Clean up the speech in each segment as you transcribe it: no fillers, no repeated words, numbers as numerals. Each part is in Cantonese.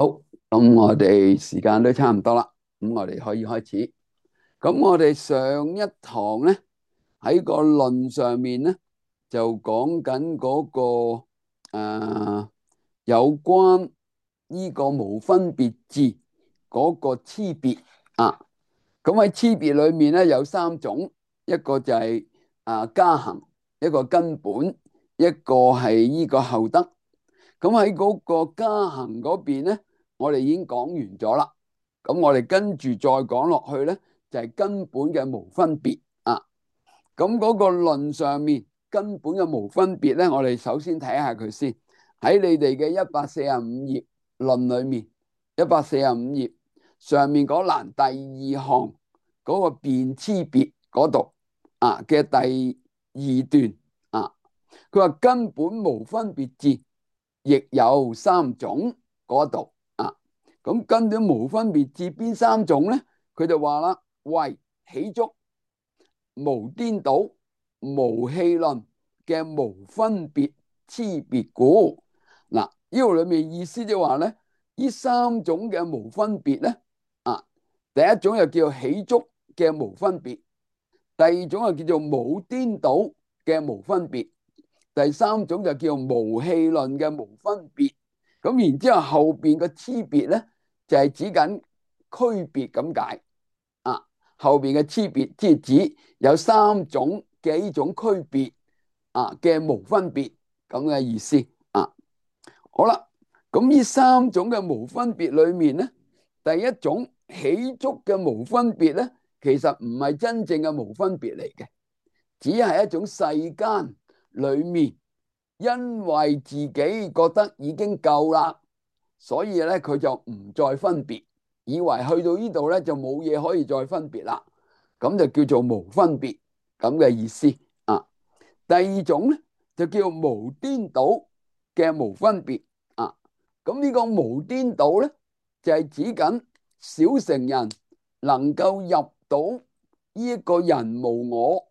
好，咁我哋時間都差唔多啦，咁我哋可以開始。咁我哋上一堂咧喺個論上面咧就講緊嗰個有關呢個無分別字嗰個差別啊。咁喺差別裏面咧有三種，一個就係加行，一個根本，一個係呢個後得。咁喺嗰個加行嗰邊咧，我哋已經講完咗啦。咁我哋跟住再講落去咧，就係根本嘅無分別啊。咁嗰個論上面根本嘅無分別咧，我哋首先睇下佢先。喺你哋嘅145頁論裏面，145頁上面嗰欄第二項嗰個辨差別嗰度嘅第二段啊，佢話根本無分別智，亦有三種嗰度啊。咁根本無分別智邊三種咧？佢就話啦，為起觸、無顛倒、無戲論嘅無分別差別故。嗱，呢度裏面意思就話咧，呢三種嘅無分別咧，第一種又叫起觸嘅無分別，第二種又叫做無顛倒嘅無分別，第三種就叫無戲論嘅無分別。咁然之後後邊嘅差別咧，就係指緊區別咁解啊。後邊嘅差別即係指有三種嘅呢種區別嘅無分別咁嘅意思啊。好啦，咁呢三種嘅無分別裏面咧，第一種起觸嘅無分別咧，其實唔係真正嘅無分別嚟嘅，只係一種世間裏面，因為自己覺得已經夠啦，所以咧佢就唔再分別，以為去到呢度咧就冇嘢可以再分別啦，咁就叫做無分別咁嘅意思啊。第二種咧就叫無顛倒嘅無分別啊。咁呢個無顛倒咧就係指緊小乘人能夠入到呢一個人無我，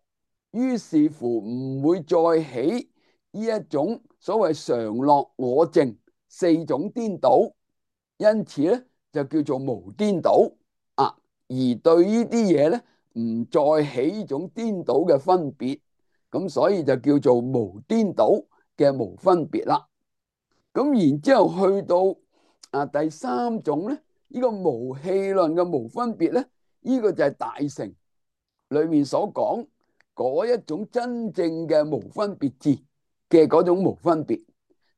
於是乎唔會再起呢一種所謂常樂我淨四種顛倒，因此咧就叫做無顛倒啊。而對呢啲嘢咧唔再起呢種顛倒嘅分別，咁所以就叫做無顛倒嘅無分別啦。咁然之後去到第三種咧，呢個無戲論嘅無分別咧，呢個就係大乘裏面所講嗰一種真正嘅無分別智嘅嗰種無分別，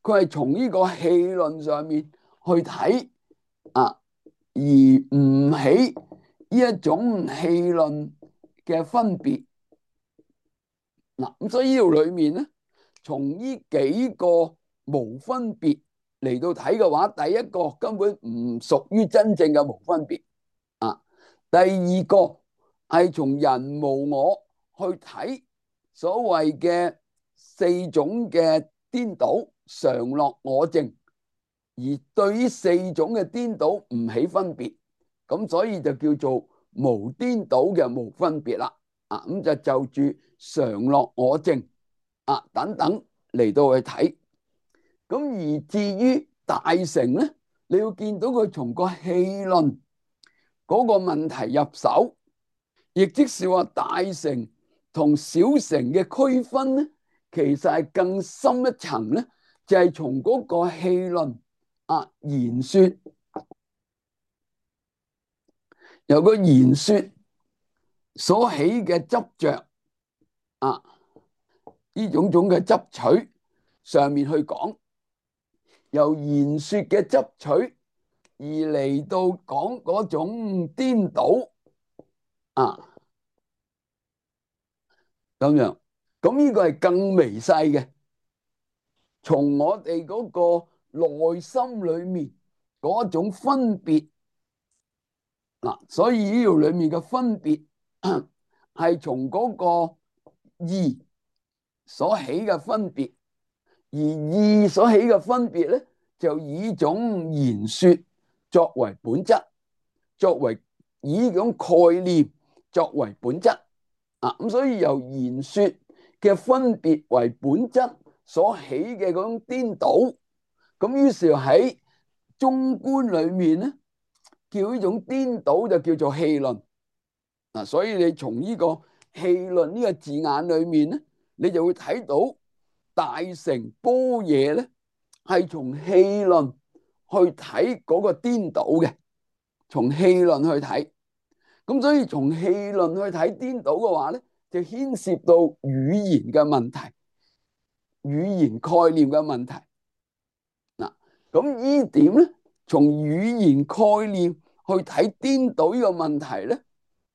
佢係從呢個戲論上面去睇而唔起呢一種戲論嘅分別。嗱，咁所以呢度裏面咧，從呢幾個無分別嚟到睇嘅話，第一個根本唔屬於真正嘅無分別啊。第二個係從人無我去睇所謂嘅四種嘅顛倒常樂我淨，而對於四種嘅顛倒唔起分別，咁所以就叫做無顛倒嘅無分別啦。咁就住常樂我淨等等嚟到去睇。咁而至於大乘咧，你要見到佢從個戲論嗰個問題入手，亦即是話大乘同小乘嘅區分咧，其實係更深一層咧，就係從嗰個戲論言說，由個言說所起嘅執着呢種種嘅執取上面去講，由言說嘅執取而嚟到講嗰種顛倒咁樣，咁呢個係更微細嘅，從我哋嗰個內心裏面嗰種分別所以呢條裏面嘅分別係從嗰個義所起嘅分別，而義所起嘅分別咧，就以種言說作為本質，作為以呢種概念作為本質咁所以由言說嘅分別為本質所起嘅嗰種顛倒，咁於是喺中觀裏面咧，叫呢種顛倒就叫做戲論。所以你從呢個戲論呢個字眼裏面咧，你就會睇到大乘般若咧係從戲論去睇嗰個顛倒嘅，從戲論去睇。咁所以從戲論去睇顛倒嘅話咧，就牽涉到語言嘅問題、語言概念嘅問題。嗱，咁呢點咧，從語言概念去睇顛倒呢個問題咧，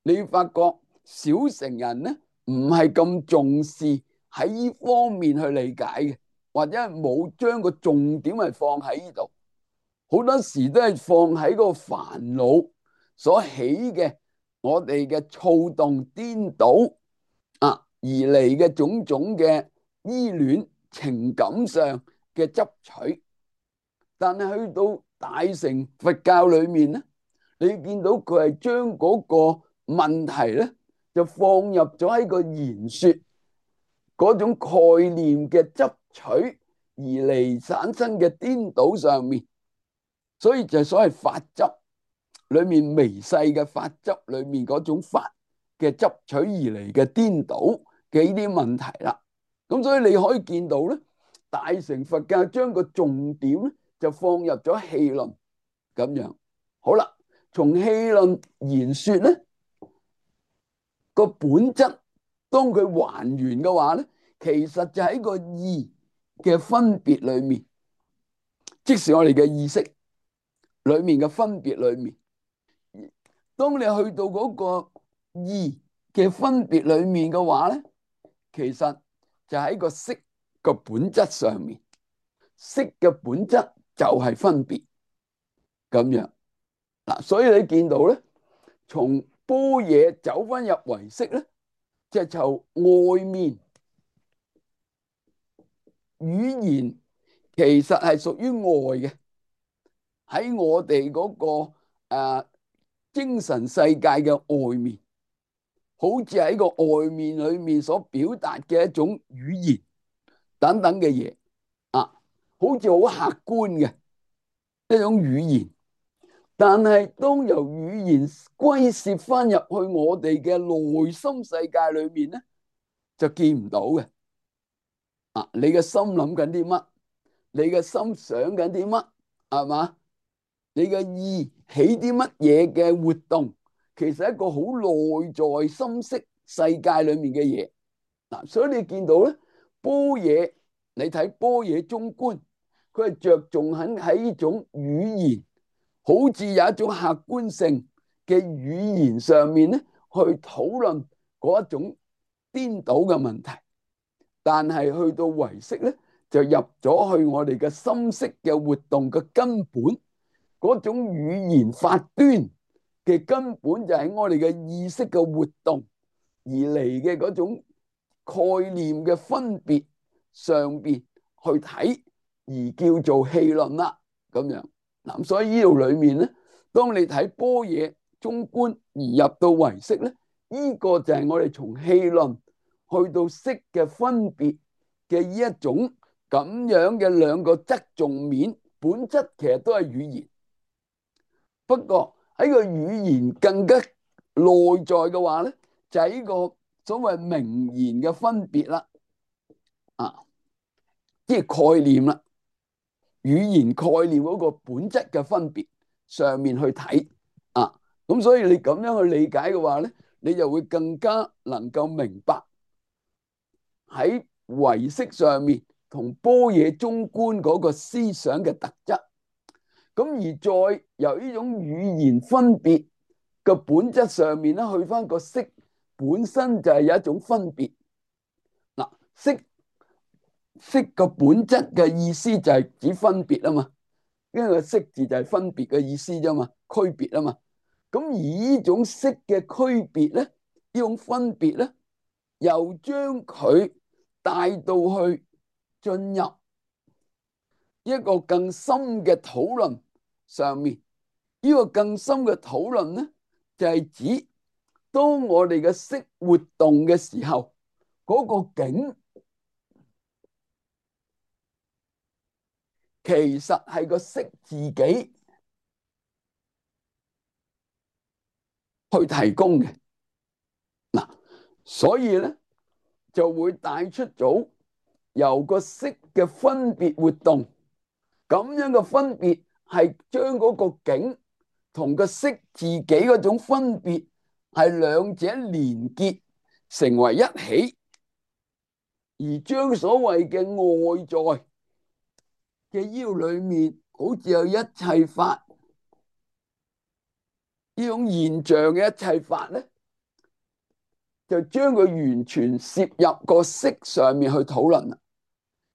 你發覺小乘人咧唔係咁重視喺呢方面去理解嘅，或者係冇將個重點係放喺呢度，好多時都係放喺個煩惱所起嘅我哋嘅躁動顛倒而嚟嘅種種嘅依戀情感上嘅執取。但係去到大乘佛教裏面咧，你見到佢係將嗰個問題咧就放入咗喺個言說嗰種概念嘅執取而嚟產生嘅顛倒上面，所以就所謂法執裏面微細嘅法執裏面嗰種法嘅執取而嚟嘅顛倒嘅呢啲問題啦。咁所以你可以見到咧，大乘佛教將個重點咧就放入咗戲論咁樣。好啦，從戲論言說咧個本質，當佢還原嘅話咧，其實就喺個意嘅分別裏面，即是我哋嘅意識裏面嘅分別裏面。當你去到嗰個意嘅分別裏面嘅話咧，其實就喺個色個本質上面，色嘅本質就係分別咁樣嗱。所以你見到咧，從般若走翻入唯識咧，就從外面語言其實係屬於外嘅，喺我哋嗰個精神世界嘅外面，好似喺個外面裏面所表達嘅一種語言等等嘅嘢好似好客觀嘅一種語言。但係當由語言歸攝翻入去我哋嘅內心世界裏面咧，就見唔到嘅。你嘅心諗緊啲乜？你嘅心想緊啲乜？係嘛？你嘅意起啲乜嘢嘅活動？其實係一個好內在心識世界裏面嘅嘢。所以你見到咧，般若，你睇般若中觀，佢係着重喺呢種語言，好似有一種客觀性嘅語言上面咧，去討論嗰一種顛倒嘅問題。但係去到唯識咧，就入咗去我哋嘅心識嘅活動嘅根本，嗰種語言法端嘅根本就喺我哋嘅意識嘅活動而嚟嘅嗰種概念嘅分別上邊去睇，而叫做戲論啦咁樣。嗱，所以呢度裏面咧，當你睇般若中觀而入到唯識咧，呢個就係我哋從戲論去到識嘅分別嘅呢一種咁樣嘅兩個側重面，本質其實都係語言。不過喺個語言更加內在嘅話咧，就係呢個所謂名言嘅分別啦，即係概念啦，語言概念嗰個本質嘅分別上面去睇咁所以你咁樣去理解嘅話咧，你就會更加能夠明白喺唯識上面同般若中觀嗰個思想嘅特質。咁而再由呢種語言分別嘅本質上面咧，去翻個識本身就係有一種分別。識個本質嘅意思就係指分別啊嘛，因為個識字就係分別嘅意思啫嘛，區別啊嘛。咁而呢種識嘅區別咧，呢種分別咧，又將佢帶到去進入一個更深嘅討論上面。呢個更深嘅討論咧，就係指當我哋嘅識活動嘅時候，嗰個境其實係個識自己去提供嘅。嗱，所以咧就會帶出咗由個色嘅分別活動，咁樣嘅分別係將嗰個景同個色自己嗰種分別係兩者連結成為一起，而將所謂嘅外在嘅腰裏面好似有一切法呢種現象嘅一切法咧，就將佢完全攝入個色上面去討論啦，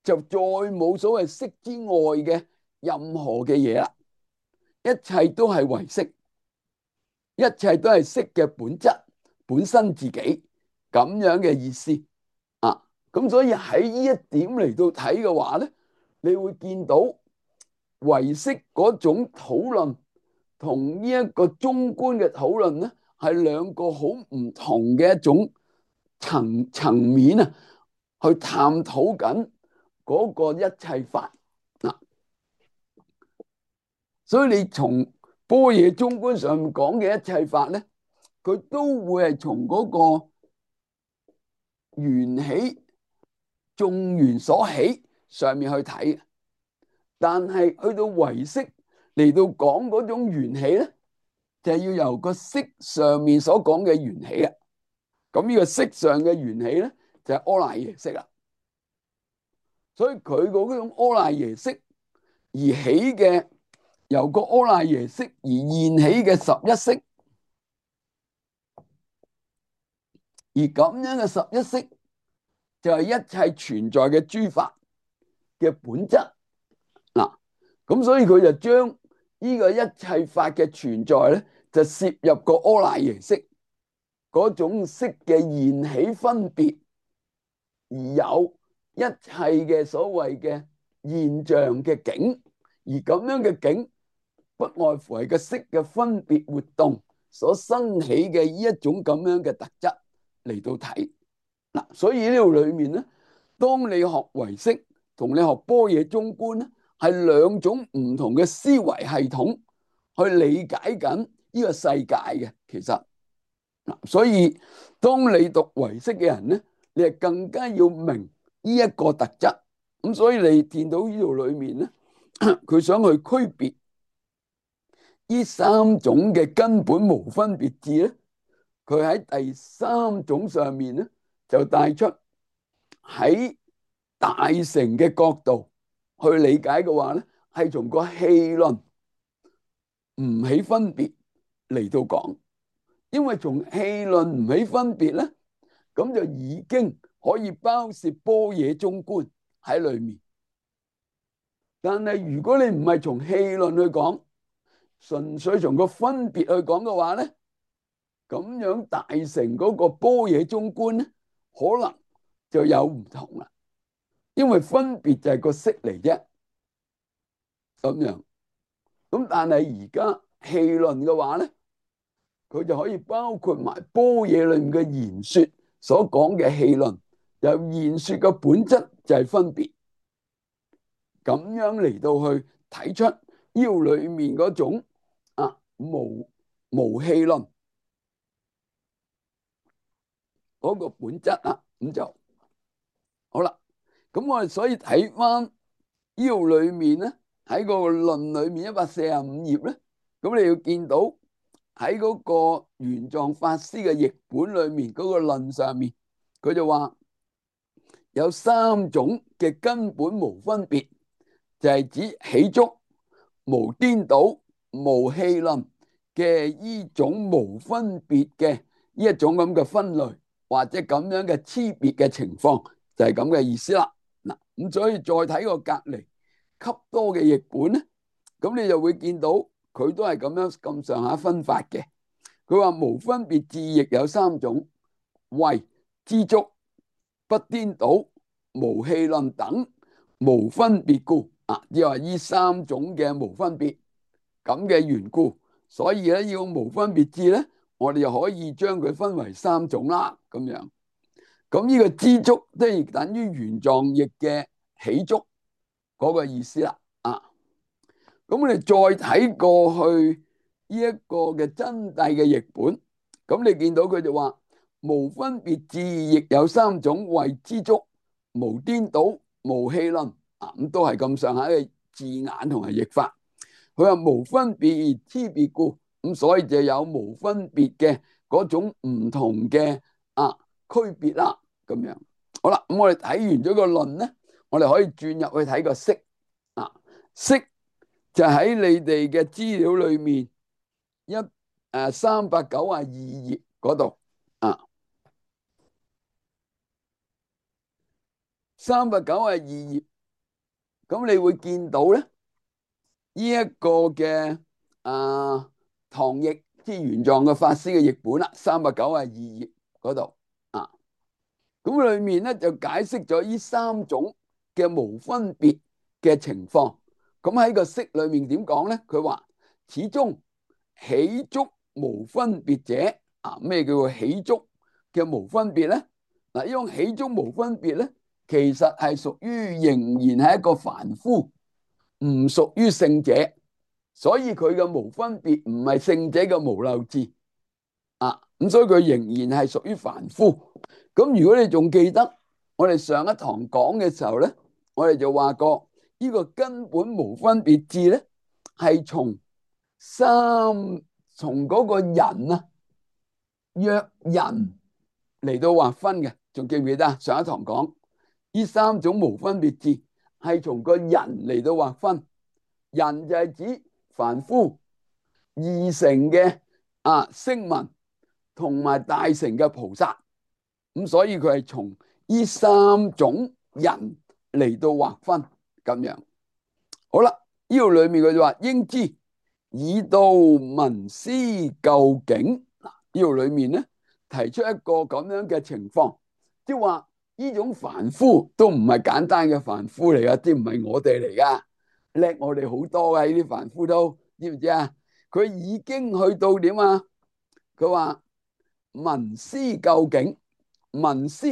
就再冇所謂色之外嘅任何嘅嘢啦，一切都係唯色，一切都係色嘅本質本身自己咁樣嘅意思啊。咁所以喺呢一點嚟到睇嘅話咧，你會見到唯識嗰種討論同呢一個中觀嘅討論咧，係兩個好唔同嘅一種層面啊，去探討緊嗰個一切法嗱。所以你從般若中觀上面講嘅一切法咧，佢都會係從嗰個緣起眾緣所起上面去睇，但係去到唯識嚟到講嗰種緣起咧，就係要由個色上面所講嘅緣起啊。咁呢個色上嘅緣起咧，就係阿賴耶識啦。所以佢嗰種阿賴耶識而起嘅，由個阿賴耶識而現起嘅十一識，而咁樣嘅十一識就係一切存在嘅諸法嘅本質嗱。咁所以佢就將呢個一切法嘅存在咧，就攝入個阿賴耶識嗰種識嘅現起分別，而有一切嘅所謂嘅現象嘅境，而咁樣嘅境不外乎係個色嘅分別活動所生起嘅呢一種咁樣嘅特質嚟到睇嗱。所以呢度裏面咧，當你學唯識同你學般若中觀咧，係兩種唔同嘅思維系統去理解緊呢個世界嘅。其實嗱，所以當你讀唯識嘅人咧，你係更加要明呢一個特質。咁所以你見到呢度裏面咧，佢想去區別呢三種嘅根本無分別智咧，佢喺第三種上面咧就帶出喺大乘嘅角度去理解嘅話咧，係從個氣論唔起分別嚟到講，因為從氣論唔起分別咧，咁就已經可以包攝般若中觀喺裏面。但係如果你唔係從氣論去講，純粹從個分別去講嘅話咧，咁樣大乘嗰個般若中觀咧，可能就有唔同啦。因為分別就係個色嚟啫，咁樣。咁但係而家氣論嘅話咧，佢就可以包括埋般若裏面嘅言說所講嘅氣論，由言說嘅本質就係分別，咁樣嚟到去睇出腰裏面嗰種無氣論嗰個本質啊。咁就好啦。咁我哋所以睇翻腰裏面咧，喺個論裏面145頁咧，咁你要見到喺嗰個玄奘法師嘅譯本裏面嗰個論上面，佢就話有三種嘅根本無分別，就係指起觸、無顛倒、無氣論嘅呢種無分別嘅呢一種咁嘅分類，或者咁樣嘅差別嘅情況，就係咁嘅意思啦。嗱，咁所以再睇個隔離笈多嘅譯本咧，咁你就會見到佢都係咁樣咁上下分法嘅。佢話無分別智亦有三種，謂知足、不顛倒、無氣論等無分別故啊，即係話呢三種嘅無分別咁嘅緣故，所以咧要無分別智咧，我哋就可以將佢分為三種啦，咁樣。咁呢個知足即係等於玄奘譯嘅起觸嗰個意思啦。咁我哋再睇過去呢一個嘅真諦嘅譯本，咁你見到佢就話無分別智，亦有三種，謂知足，無顛倒，無戲論。咁都係咁上下嘅字眼同埋譯法。佢話無分別而差別故，咁所以就有無分別嘅嗰種唔同嘅區別啦。咁樣好啦，咁我哋睇完咗個論咧，我哋可以轉入去睇個釋。釋就喺你哋嘅資料裏面392頁嗰度392頁，咁你會見到咧呢一個嘅唐譯即玄奘嘅法師嘅譯本啦，392頁嗰度咁裏面咧就解釋咗呢三種嘅無分別嘅情況。咁喺個釋裏面點講咧？佢話始終起足無分別者，咩叫做起足嘅無分別咧？呢種起足無分別咧，其實係屬於仍然係一個凡夫，唔屬於聖者，所以佢嘅無分別唔係聖者嘅無漏智咁所以佢仍然係屬於凡夫。咁如果你仲記得我哋上一堂講嘅時候咧，我哋就話過呢個根本無分別智咧，係從嗰個人約人嚟到劃分嘅。仲記唔記得上一堂講呢三種無分別智係從個人嚟到劃分，人就係指凡夫、二乘嘅聲聞同埋大乘嘅菩薩。咁所以佢係從呢三種人嚟到劃分咁樣。好啦，呢度裏面佢就話應知以道聞思究竟。呢度裏面咧提出一個咁樣嘅情況，即係話呢種凡夫都唔係簡單嘅凡夫嚟噶，啲唔係我哋嚟噶，叻我哋好多噶。呢啲凡夫都知唔知啊？佢已經去到點啊？佢話聞思究竟。聞思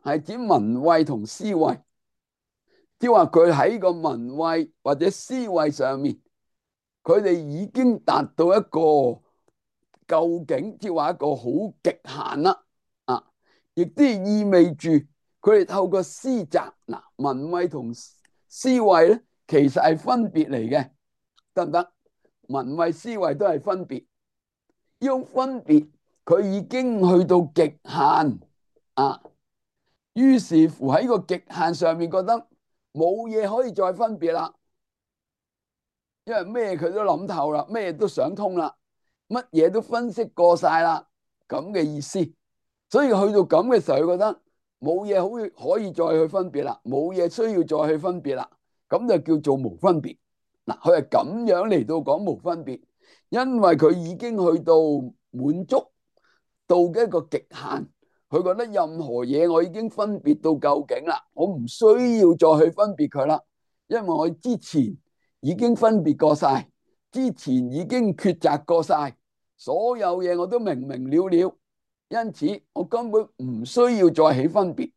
係指聞慧同思慧，即係話佢喺個聞慧或者思慧上面，佢哋已經達到一個究竟，即係話一個好極限啦。亦都意味住佢哋透過思擇聞慧同思慧咧，其實係分別嚟嘅，得唔得？聞慧思慧都係分別，呢種分別佢已經去到極限於是乎喺個極限上面覺得冇嘢可以再分別啦，因為咩佢都諗透啦，咩都想通啦，乜嘢都分析過晒啦，咁嘅意思。所以去到咁嘅時候，佢覺得冇嘢可以再去分別啦，冇嘢需要再去分別啦，咁就叫做無分別。佢係咁樣嚟到講無分別，因為佢已經去到滿足到嘅一個極限。佢覺得任何嘢我已經分別到究竟啦，我唔需要再去分別佢啦，因為我之前已經分別過晒，之前已經抉擇過晒，所有嘢我都明明了了，因此我根本唔需要再起分別。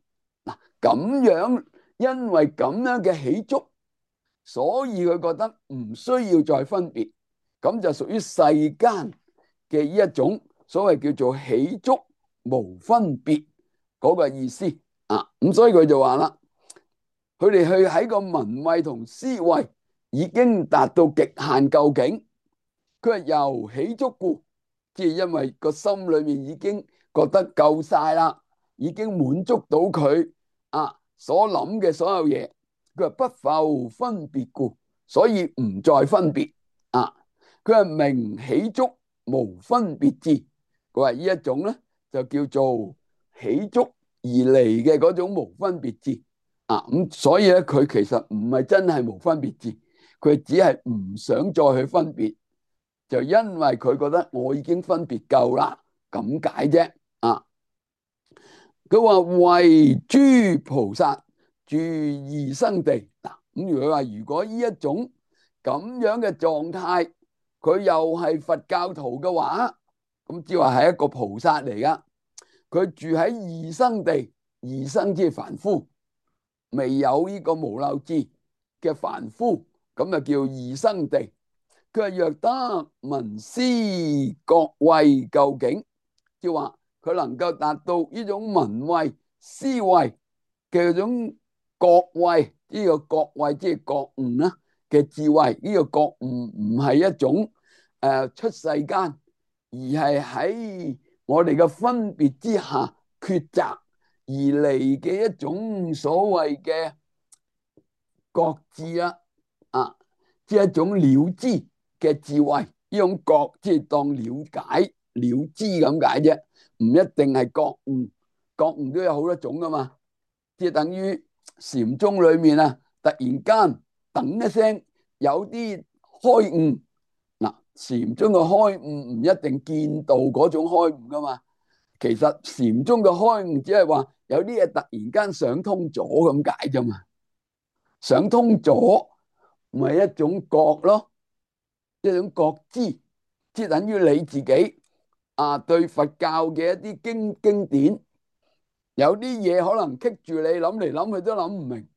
咁樣因為咁樣嘅起足，所以佢覺得唔需要再分別，咁就屬於世間嘅呢一種所謂叫做起足無分別嗰個意思咁所以佢就話啦，佢哋去喺個聞慧同思慧已經達到極限究竟，佢係由起足故，即係因為個心裏面已經覺得夠晒啦，已經滿足到佢所諗嘅所有嘢，佢話不復分別故，所以唔再分別佢係名起足無分別智。佢話呢一種咧就叫做起足而嚟嘅嗰種無分別智咁所以咧佢其實唔係真係無分別智，佢只係唔想再去分別，就因為佢覺得我已經分別夠啦，咁解啫佢話為諸菩薩住異生地咁如果話如果呢一種咁樣嘅狀態，佢又係佛教徒嘅話，咁即係話係一個菩薩嚟噶。佢住喺異生地，異生即係凡夫，未有呢個無漏智嘅凡夫，咁就叫異生地。佢話若得聞思覺慧究竟，即係話佢能夠達到呢種聞慧思慧嘅嗰種覺慧，呢個覺慧即係覺悟啦嘅智慧。呢個覺悟唔係一種出世間，而係喺我哋嘅分別之下抉擇而嚟嘅一種所謂嘅覺智啦，即係一種了知嘅智慧。呢種覺即係當了解了知咁解啫，唔一定係覺悟。覺悟都有好多種噶嘛，即係等於禪宗裏面啊，突然間噔一聲有啲開悟。嗱，禪宗嘅開悟唔一定見到嗰種開悟噶嘛，其實禪宗嘅開悟只係話有啲嘢突然間想通咗咁解啫嘛，想通咗咪一種覺咯，一種覺知，即係等於你自己對佛教嘅一啲經典，有啲嘢可能棘住你，諗嚟諗去都諗唔明。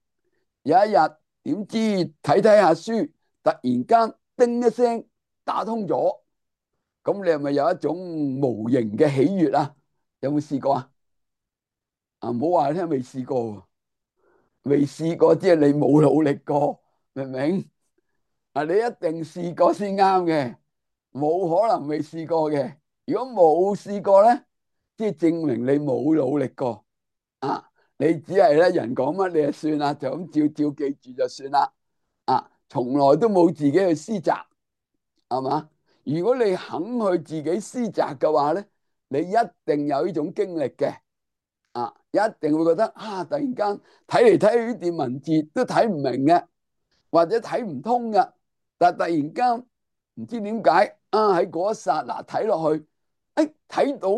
有一日點知睇睇下書，突然間叮一聲打通咗，咁你係咪有一種無形嘅喜悅啊？有冇試過啊？唔好話你聽未試過，未試過即係你冇努力過，明唔明？你一定試過先啱嘅，冇可能未試過嘅。如果冇試過咧，即係證明你冇努力過啊！你只係咧人講乜你就算啦，就咁照記住就算啦。從來都冇自己去思擇，係嘛？如果你肯去自己思擇嘅話咧，你一定有呢種經歷嘅。一定會覺得突然間睇嚟睇去呢段文字都睇唔明嘅，或者睇唔通嘅，但係突然間唔知點解喺嗰一剎那睇落去，睇到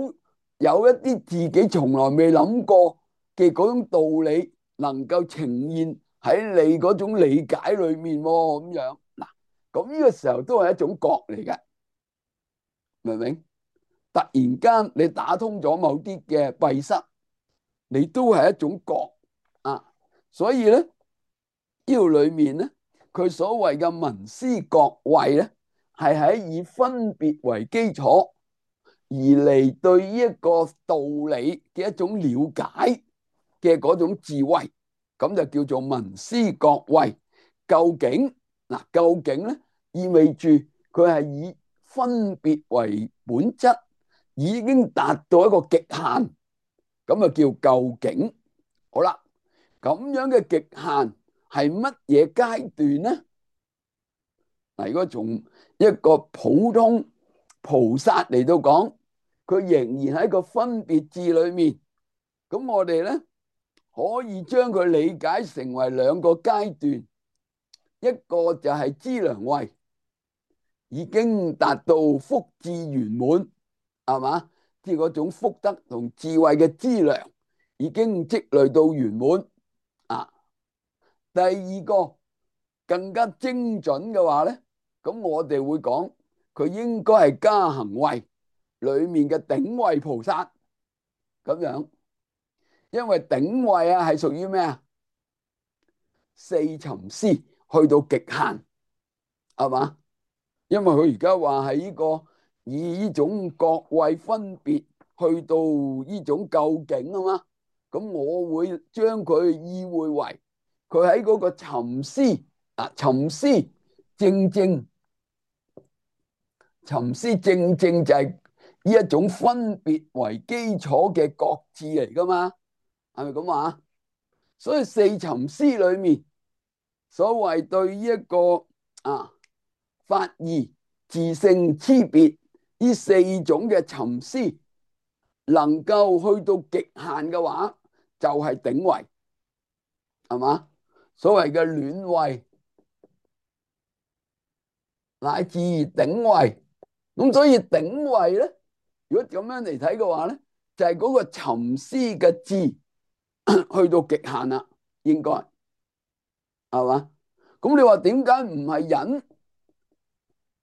有一啲自己從來未諗過嘅嗰種道理，能夠呈現喺你嗰種理解裏面咁樣。嗱，咁呢個時候都係一種覺嚟嘅，明唔明？突然間你打通咗某啲嘅閉塞，你都係一種覺所以咧呢度裏面咧，佢所謂嘅聞思覺慧咧，係喺以分別為基礎而嚟對呢一個道理嘅一種了解嘅嗰種智慧，咁就叫做聞思覺慧。究竟究竟咧意味住佢係以分別為本質，已經達到一個極限，咁啊叫究竟。好啦，咁樣嘅極限係乜嘢階段呢？如果從一個普通菩薩嚟到講，佢仍然喺個分別智裏面，咁我哋咧可以將佢理解成為兩個階段，一個就係資糧位，已經達到福智圓滿，係嘛？即係嗰種福德同智慧嘅資糧已經積累到圓滿。第二個更加精準嘅話咧，咁我哋會講佢應該係加行位裏面嘅頂位菩薩咁樣，因為頂位係屬於咩啊？四尋思去到極限，係嘛？因為佢而家話係呢個以呢種覺位分別去到呢種究竟啊嘛，咁我會將佢意會為佢喺嗰個尋思尋思正正尋思正正就係呢一種分別為基礎嘅覺智嚟噶嘛，係咪咁話？所以四尋思裏面所謂對呢一個法義、自性、差別呢四種嘅尋思，能夠去到極限嘅話，就係頂位，係嘛？所謂嘅暖位乃至頂位，咁所以頂位咧，如果咁樣嚟睇嘅話咧，就係嗰個尋思嘅智去到極限啦，應該係嘛？咁你話點解唔係忍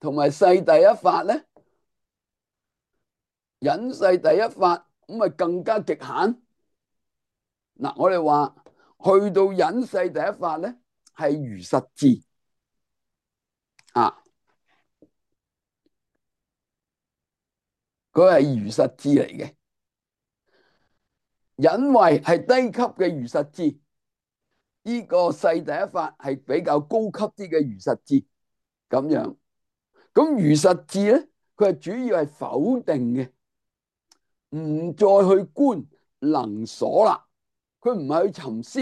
同埋世第一法咧？忍世第一法咁咪更加極限。我哋話去到忍世第一法咧，係如實智啊。佢係如實智嚟嘅。因為係低級嘅如實智，呢個世第一法係比較高級啲嘅如實智咁樣。咁如實智咧，佢係主要係否定嘅，唔再去觀能所啦。佢唔係去沉思，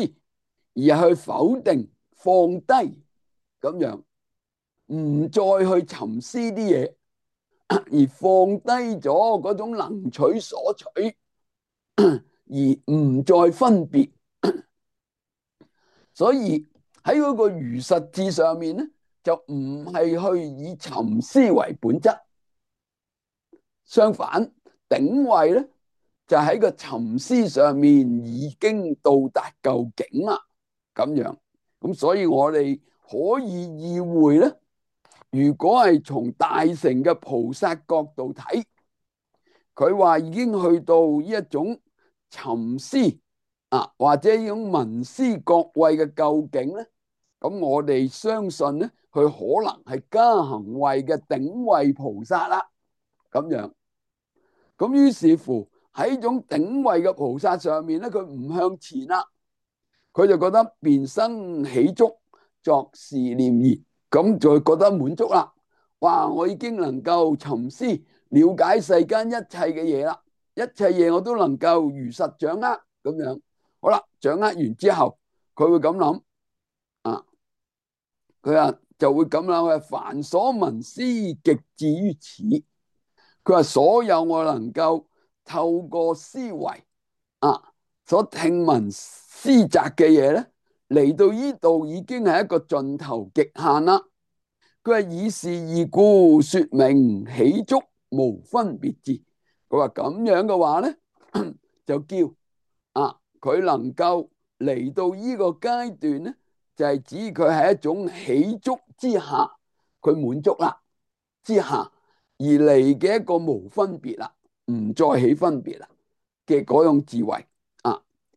而係去否定放低咁樣，唔再去沉思啲嘢，而放低咗嗰種能取所取，而唔再分別。所以喺嗰個如實智上面咧，就唔係去以沉思為本質，相反頂位咧就喺個沉思上面已經到達究竟啦，咁樣。咁所以我哋可以意會咧，如果係從大乘嘅菩薩角度睇，佢話已經去到呢一種沉思或者呢種聞思覺位嘅究竟咧，咁我哋相信咧，佢可能係加行位嘅頂位菩薩啦，咁樣。咁於是乎喺呢種頂位嘅菩薩上面咧，佢唔向前啦，佢就覺得便生喜足，作是念言，咁就覺得滿足啦。哇！我已經能夠沉思了解世間一切嘅嘢啦，一切嘢我都能夠如實掌握咁樣。好啦，掌握完之後，佢會咁諗啊，佢話就會咁諗，佢話凡所聞思極至於此。佢話所有我能夠透過思維所聽聞思擇嘅嘢咧，嚟到呢度已經係一個盡頭極限啦。佢話以是義故說明喜足無分別智。佢話咁樣嘅話咧，就叫佢能夠嚟到呢個階段咧，就係指佢係一種喜足之下，佢滿足啦之下而嚟嘅一個無分別啦，唔再起分別啦嘅嗰種智慧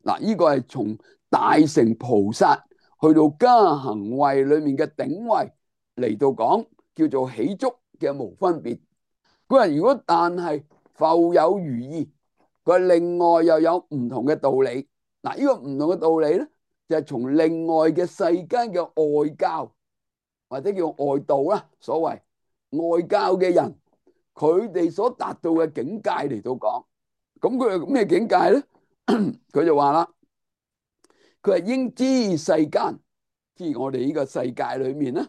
嗱，呢個係從大乘菩薩去到加行位裏面嘅頂位嚟到講，叫做喜足嘅無分別。佢話如果但係復有餘意，佢另外又有唔同嘅道理。嗱，呢個唔同嘅道理咧，就係從另外嘅世間嘅外教或者叫外道啦，所謂外教嘅人，佢哋所達到嘅境界嚟到講。咁佢係咩境界咧？佢就話啦，佢係應知世間，即係我哋呢個世界裏面咧，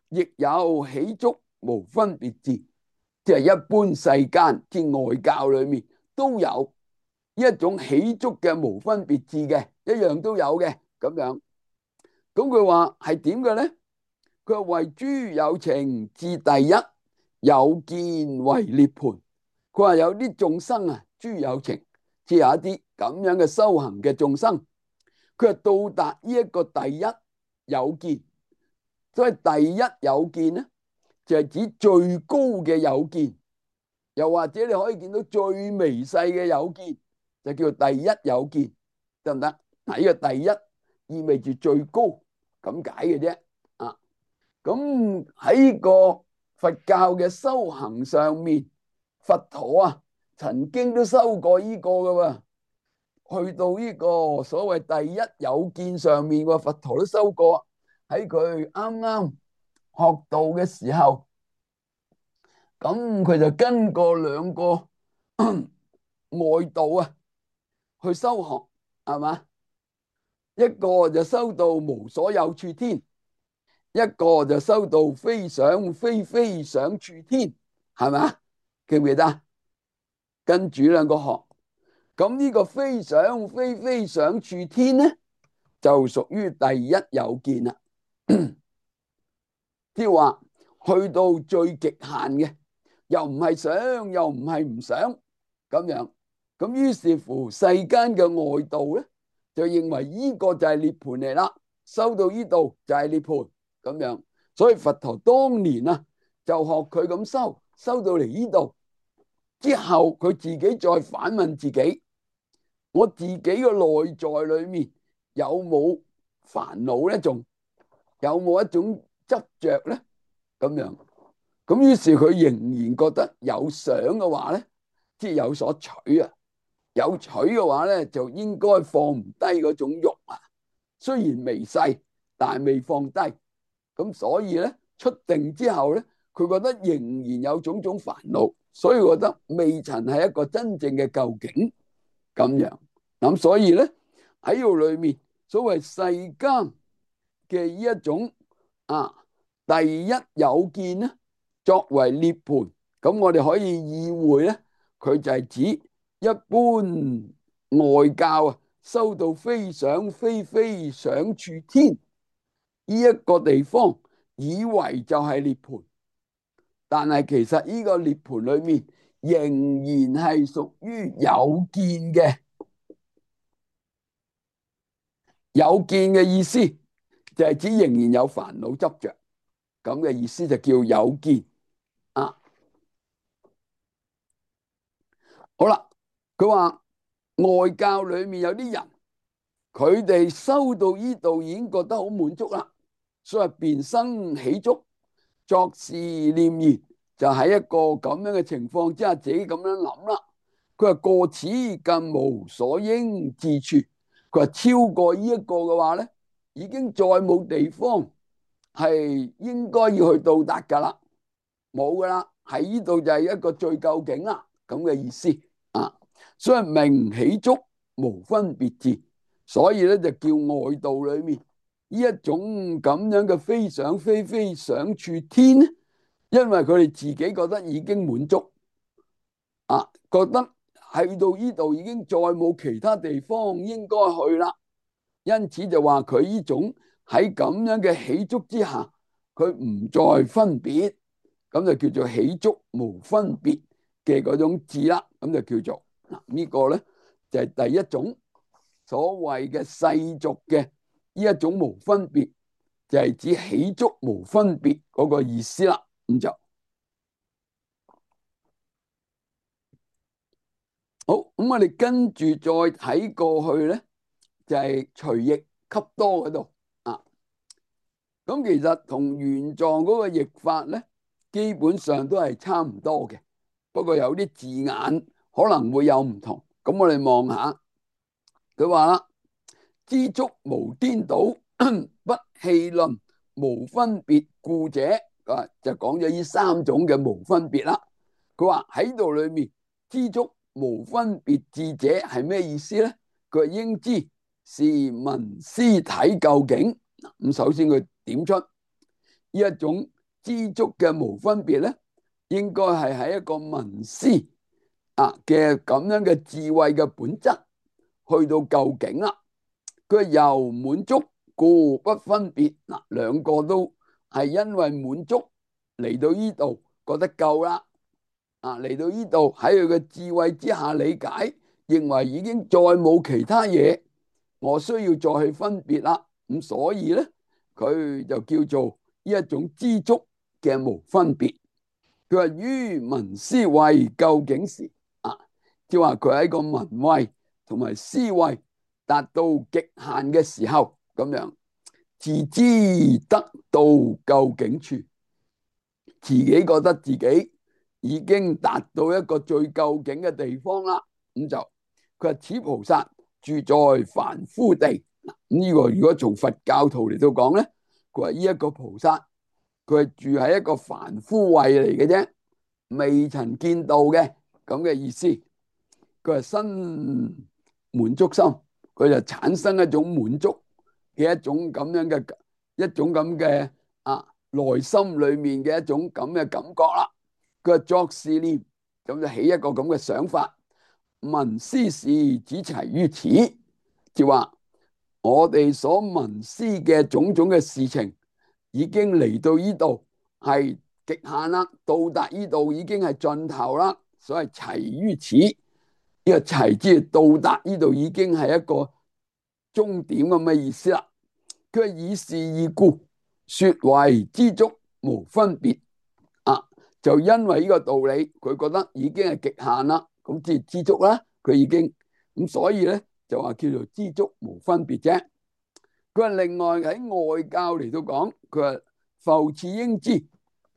亦有喜足無分別智，即係一般世間即外教裏面都有一種喜足嘅無分別智嘅，一樣都有嘅咁樣。咁佢話係點嘅咧？佢話為諸有情至第一有見為涅槃。佢話有啲眾生諸有情，即係有一啲咁樣嘅修行嘅眾生，佢係到達呢一個第一有見。所以第一有見咧，就係指最高嘅有見，又或者你可以見到最微細嘅有見，就叫做第一有見，得唔得？嗱，呢個第一意味住最高咁解嘅啫。咁喺個佛教嘅修行上面，佛陀曾經都修過呢個噶喎，去到呢個所謂第一有見上面，佛陀都修過。喺佢啱啱學道嘅時候，咁佢就跟過兩個外道去修學，係嘛？一個就修到無所有處天，一個就修到非想非非想處天，係嘛？記唔記得？跟住兩個學，咁呢個非想非非想處天咧，就屬於第一有見啦。即係話去到最極限嘅，又唔係想，又唔係唔想咁樣。咁於是乎世間嘅外道咧，就認為呢個就係涅槃嚟啦，修到呢度就係涅槃咁樣。所以佛陀當年就學佢咁修，修到嚟呢度之後，佢自己再反問自己：我自己嘅內在裏面有冇煩惱咧？仲有冇一種執着咧？咁樣，咁於是佢仍然覺得有想嘅話咧，即係有所取啊。有取嘅話咧，就應該放唔低嗰種欲啊。雖然微細，但係未放低。咁所以咧，出定之後咧，佢覺得仍然有種種煩惱，所以覺得未曾係一個真正嘅究竟咁樣。咁所以咧，喺度裏面，所謂世間嘅呢一種第一有見咧，作為涅槃，咁我哋可以意會咧，佢就係指一般外教修到非想非非想處天呢一個地方，以為就係涅槃，但係其實呢個涅槃裏面仍然係屬於有見嘅。有見嘅意思就係指仍然有煩惱執着，咁嘅意思就叫有見啊。好啦，佢話外教裏面有啲人，佢哋修到呢度已經覺得好滿足啦，所以便生喜觸，作是念言，就喺一個咁樣嘅情況之下，自己咁樣諗啦。佢話過此更無所應至處，佢話超過呢一個嘅話咧，已經再冇地方係應該要去到達噶啦，冇噶啦，喺呢度就係一個最究竟啦，咁嘅意思啊。所以名喜觸無分別智，所以咧就叫外道裏面呢一種咁樣嘅非想非非想處天咧，因為佢哋自己覺得已經滿足覺得去到呢度已經再冇其他地方應該去啦，因此就話佢呢種喺咁樣嘅喜觸之下，佢唔再分別，咁就叫做喜觸無分別嘅嗰種智啦。咁就叫做呢個咧就係第一種所謂嘅世俗嘅呢一種無分別，就係指喜觸無分別嗰個意思啦。咁就好，咁我哋跟住再睇過去咧，就係隨譯給多嗰度啊。咁其實同原狀嗰個譯法咧，基本上都係差唔多嘅，不過有啲字眼可能會有唔同。咁我哋望下，佢話啦：知觸無顛倒，不戲論，無分別故者，就講咗呢三種嘅無分別啦。佢話喺度裏面，知觸無分別智者係咩意思咧？佢話應知是聞思體究竟。咁首先佢點出呢一種知觸嘅無分別咧，應該係喺一個聞思嘅咁樣嘅智慧嘅本質去到究竟啦。佢由滿足故不分別，兩個都係因為滿足嚟到呢度覺得夠啦。嚟到呢度喺佢嘅智慧之下理解，認為已經再冇其他嘢我需要再去分別啦。咁所以咧，佢就叫做呢一種知觸嘅無分別。佢話於聞思慧究竟時即係話佢喺個聞慧同埋思慧達到極限嘅時候，咁樣自知得到究竟處，自己覺得自己已經達到一個最究竟嘅地方啦。咁就佢話此菩薩住在凡夫地。咁呢個如果從佛教徒嚟到講咧，佢話呢一個菩薩佢係住喺一個凡夫位嚟嘅啫，未曾見到嘅咁嘅意思。佢係生滿足心，佢就產生一種滿足嘅一種咁樣嘅一種咁嘅內心裏面嘅一種咁嘅感覺啦。佢話作是念，咁就起一個咁嘅想法，聞思事只齊於此，就話我哋所聞思嘅種種嘅事情已經嚟到呢度係極限啦，到達呢度已經係盡頭啦，所謂齊於此。呢個齊之到達呢度已經係一個終點咁嘅意思啦。佢以是義故，說為知觸無分別就因為呢個道理，佢覺得已經係極限啦，咁即係知觸啦，佢已經咁，所以咧就話叫做知觸無分別啫。佢話另外喺外教嚟到講，佢話復次應知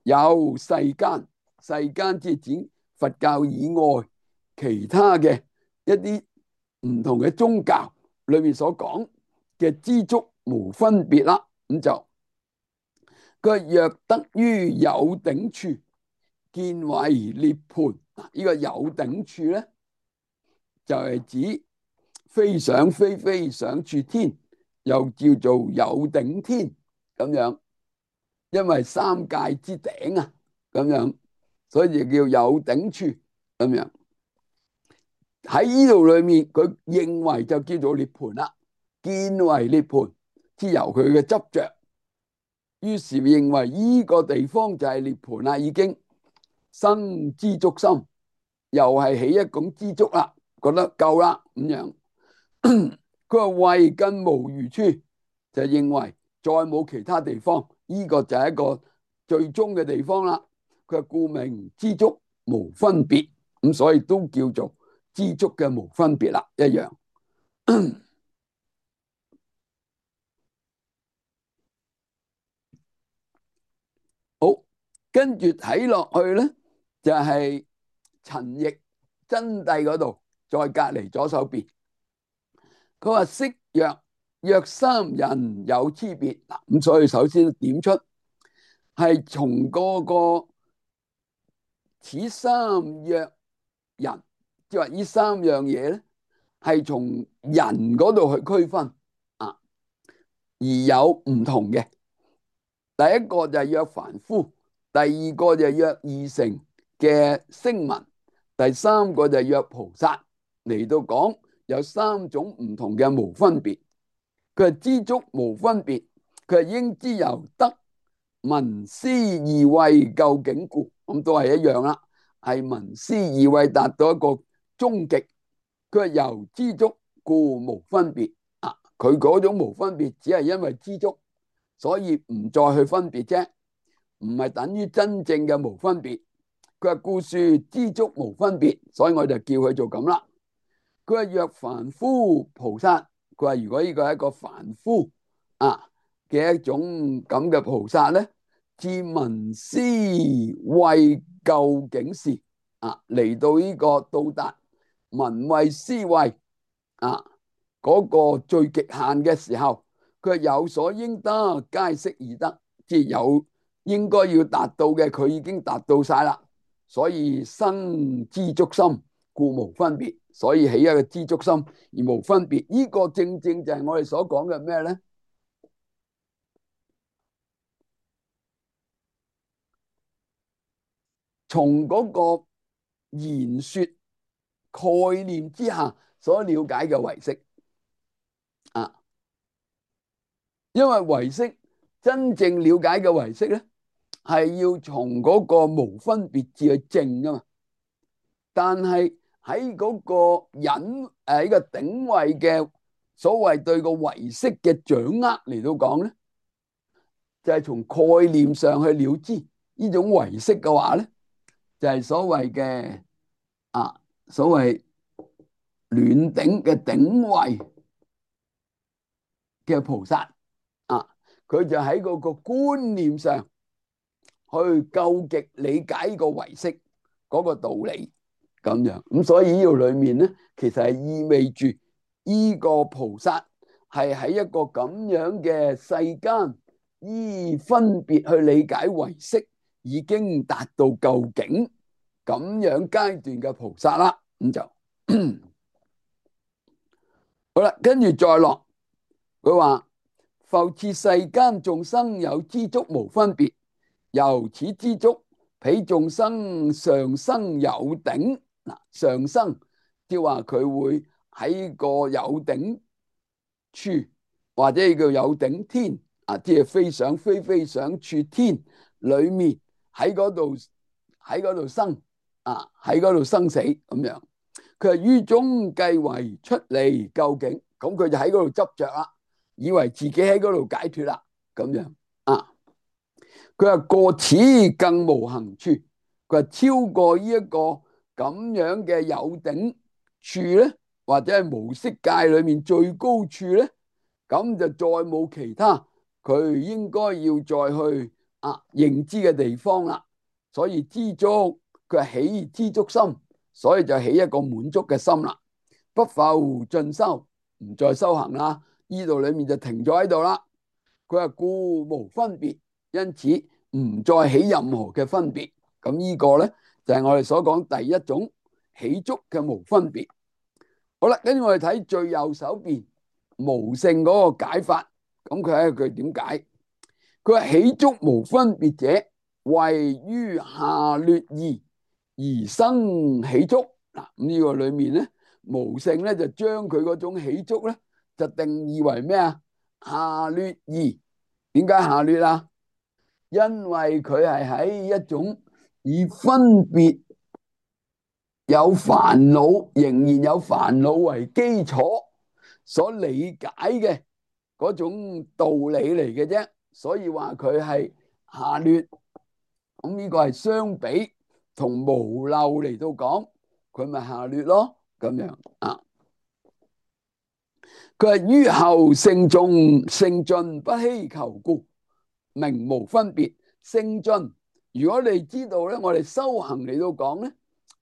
有世間，世間即係指佛教以外其他嘅一啲唔同嘅宗教裏面所講嘅知足無分別啦。咁就佢若得於有頂處，見為涅槃。呢個有頂處咧，就係指非想非非想處天，又叫做有頂天咁樣，因為三界之頂啊，咁樣，所以就叫有頂處咁樣。喺呢度裏面，佢認為就叫做涅槃啦，見為涅槃，之由佢嘅執着，於是認為呢個地方就係涅槃啦，已經生知足心，又係起一種知足啦，覺得夠啦咁樣。佢話為更無餘處，就認為再冇其他地方，呢個就係一個最終嘅地方啦。佢話故名知足無分別，咁所以都叫做知足嘅無分別啦，一樣。好，跟住睇落去咧，就係陳譯真諦嗰度，再隔離左手邊。佢話昔若三人有差別嗱，咁所以首先點出係從嗰個此三若人，即係話呢三樣嘢咧，係從人嗰度去區分啊，而有唔同嘅。第一個就係若凡夫，第二個就係若二乘嘅聲聞，第三個就係若菩薩。嚟到講有三種唔同嘅無分別。佢係知足無分別，佢係應知由得聞思二慧究竟故，咁都係一樣啦，係聞思二慧達到一個終極。佢係由知足故無分別啊，佢嗰種無分別只係因為知足，所以唔再去分別啫，唔係等於真正嘅無分別。佢話故說知足無分別，所以我就叫佢做咁啦。佢話若凡夫菩薩，佢話如果呢個係一個凡夫啊嘅一種咁嘅菩薩咧，自聞思慧究竟事啊，嚟到呢個到達聞慧思慧啊嗰個最極限嘅時候，佢有所應得，皆悉已得，即係有應該要達到嘅，佢已經達到晒啦，所以生知足心，故無分別，所以起一個知足心而無分別。呢個正正就係我哋所講嘅咩咧？從嗰個言說概念之下所了解嘅唯識啊，因為唯識真正了解嘅唯識咧，係要從嗰個無分別至去證噶嘛。但係喺嗰個隱呢個頂位嘅所謂對個唯識嘅掌握嚟到講咧，就係從概念上去了知呢種唯識嘅話咧，就係所謂嘅所謂暖頂嘅頂位嘅菩薩啊，佢就喺嗰個觀念上去究極理解呢個唯識嗰個道理咁樣。咁所以呢度裏面咧，其實係意味住呢個菩薩係喺一個咁樣嘅世間，依分別去理解唯識，已經達到究竟咁樣階段嘅菩薩啦。咁就好啦，跟住再落，佢話復次世間眾生有知足無分別，由此知足，彼眾生上生有頂。嗱，上生即係話佢會喺個有頂處，或者叫有頂天啊，即係非想非非想處天裏面，喺嗰度生啊，喺嗰度生死咁樣。佢係於中計為出離究竟，咁佢就喺嗰度執着啦，以為自己喺嗰度解脫啦，咁樣啊。佢話過此更無行處，佢話超過呢一個咁樣嘅有頂處咧，或者係無色界裏面最高處咧，咁就再冇其他佢應該要再去認知嘅地方啦。所以知足，佢係起知足心所以就起一個滿足嘅心啦，不復進修，唔再修行啦。呢度裏面就停咗喺度啦。佢話故無分別，因此唔再起任何嘅分別。咁呢個咧就係我哋所講第一種起觸嘅無分別。好啦，跟住我哋睇最右手邊無性嗰個解法。咁佢睇佢點解？佢話起觸無分別者，謂於下劣義而生起觸。嗱，咁呢個裏面咧，無性咧就將佢嗰種起觸咧就定義為咩啊？下劣義。點解下劣啊？因為佢係喺一種以分別有煩惱，仍然有煩惱為基礎所理解嘅嗰種道理嚟嘅啫，所以話佢係下劣。咁呢個係相比同無漏嚟到講，佢咪下劣咯，咁樣啊。佢係於後聖進不希求故，名無分別。聖進，如果你知道咧，我哋修行嚟到講咧，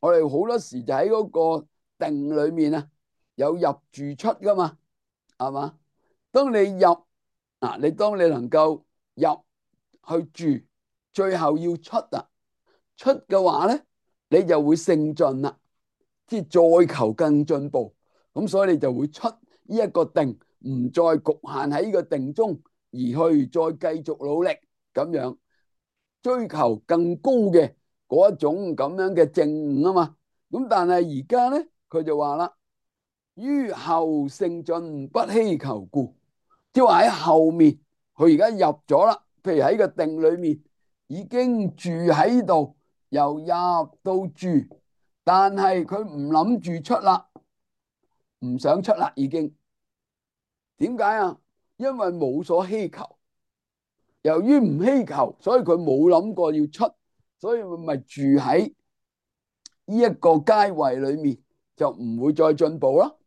我哋好多時就喺嗰個定裏面啊，有入住出噶嘛，係嘛？當你入啊，當你能夠入去住，最後要出啊，出嘅話咧，你就會聖進啦，即係再求更進步。咁所以你就會出呢一個定，唔再局限喺呢個定中，而去再繼續努力咁樣追求更高嘅嗰一種咁樣嘅證悟啊嘛。咁但係而家咧，佢就話啦，於後聖進不希求故，即係話喺後面，佢而家入咗啦，譬如喺個定裏面已經住喺度，由入到住，但係佢唔諗住出啦，唔想出啦，已經。點解啊？因為冇所希求，由於唔希求，所以佢冇諗過要出，所以咪住喺呢一個階位裏面，就唔會再進步咯，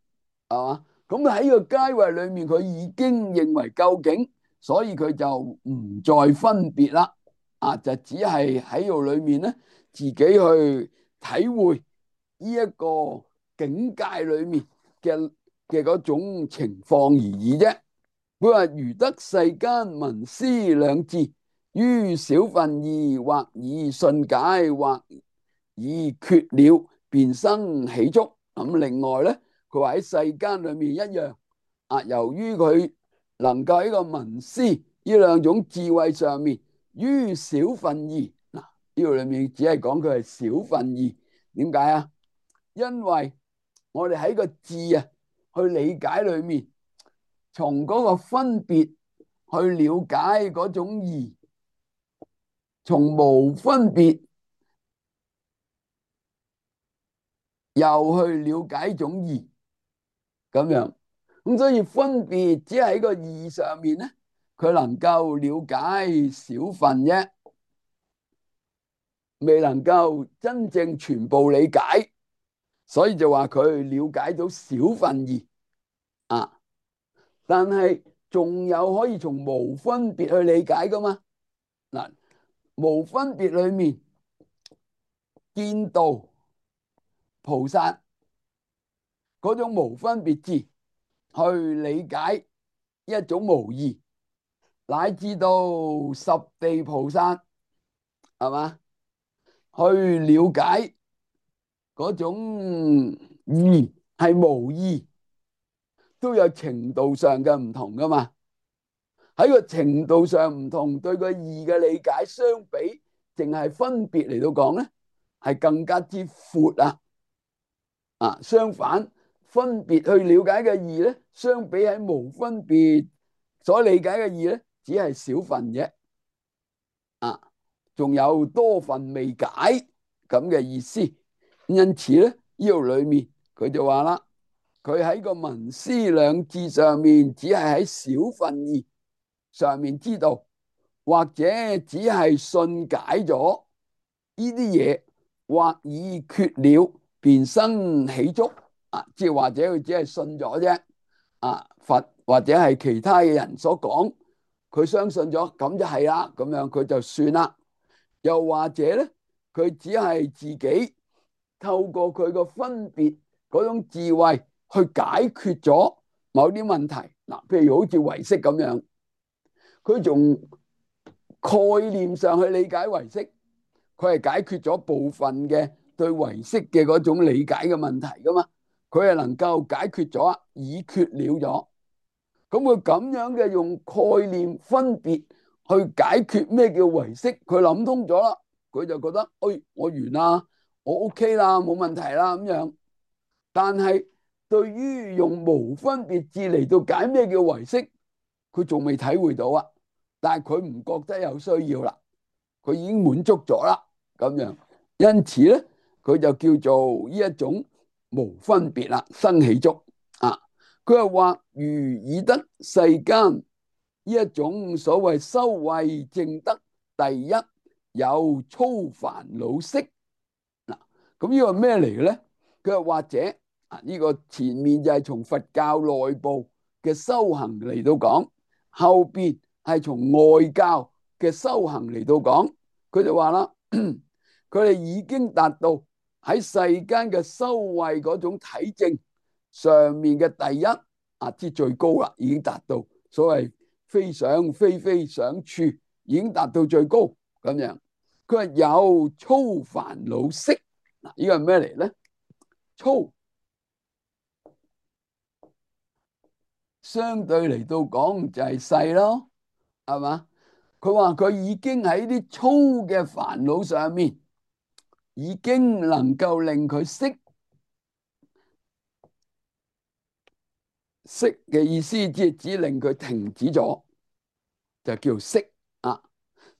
係嘛？咁喺呢個階位裏面，佢已經認為究竟，所以佢就唔再分別啦，啊，就只係喺度裏面咧，自己去體會呢一個境界裏面嘅嗰種情況而已啫。佢話如得世間聞思兩智，於少分義，或以信解，或以決了，便生起觸。咁另外咧，佢話喺世間裏面一樣啊，由於佢能夠喺個聞思呢兩種智慧上面，於少分義，嗱，呢個裏面只係講佢係少分義。點解啊？因為我哋喺個智啊去理解裏面，從嗰個分別去了解嗰種義，從無分別又去了解種義，咁樣。咁所以分別只係喺個義上面咧，佢能夠了解少分啫，未能夠真正全部理解，所以就話佢了解到少分義啊。但係仲有可以從無分別去理解噶嘛？嗱，無分別裏面見道菩薩嗰種無分別智去理解一種無義，乃至到十地菩薩係嘛，去了解嗰種義係無義，都有程度上嘅唔同噶嘛。喺個程度上唔同，對個義嘅理解相比，淨係分別嚟到講咧，係更加之闊啊！啊，相反，分別去了解嘅義咧，相比喺無分別所理解嘅義咧，只係少分啫。啊，仲有多分未解咁嘅意思。因此咧，呢度裏面佢就話啦，佢喺個聞思兩智上面，只係喺少分義上面知道，或者只係信解咗呢啲嘢，或以決了，便生起觸。啊，即係或者佢只係信咗啫。啊，佛或者係其他嘅人所講，佢相信咗，咁就係啦，咁樣佢就算啦。又或者咧，佢只係自己透過佢個分別嗰種智慧去解決咗某啲問題。嗱，譬如好似唯識咁樣，佢從概念上去理解唯識，佢係解決咗部分嘅對唯識嘅嗰種理解嘅問題噶嘛，佢係能夠解決咗，已決了咗。咁佢咁樣嘅用概念分別去解決咩叫唯識，佢諗通咗啦，佢就覺得，哎，我完啦，我 OK 啦，冇問題啦咁樣。但係對於用無分別智嚟到解咩叫唯識，佢仲未體會到啊。但係佢唔覺得有需要啦，佢已經滿足咗啦，咁樣。因此咧，佢就叫做呢一種無分別啦，生起觸啊。佢係話如以得世間呢一種所謂修慧證得第一有粗煩惱識。嗱，咁呢個係咩嚟嘅咧？佢係或者啊，呢個前面就係從佛教內部嘅修行嚟到講，後邊係從外教嘅修行嚟到講。佢就話啦，佢哋已經達到喺世間嘅修慧嗰種體證上面嘅第一啊，之最高啦，已經達到所謂非想非非想處，已經達到最高咁樣。佢話有粗煩惱識。嗱，呢個係咩嚟咧？粗相對嚟到講就係細咯，係嘛？佢話佢已經喺啲粗嘅煩惱上面，已經能夠令佢息嘅意思，即係只令佢停止咗，就叫息啊！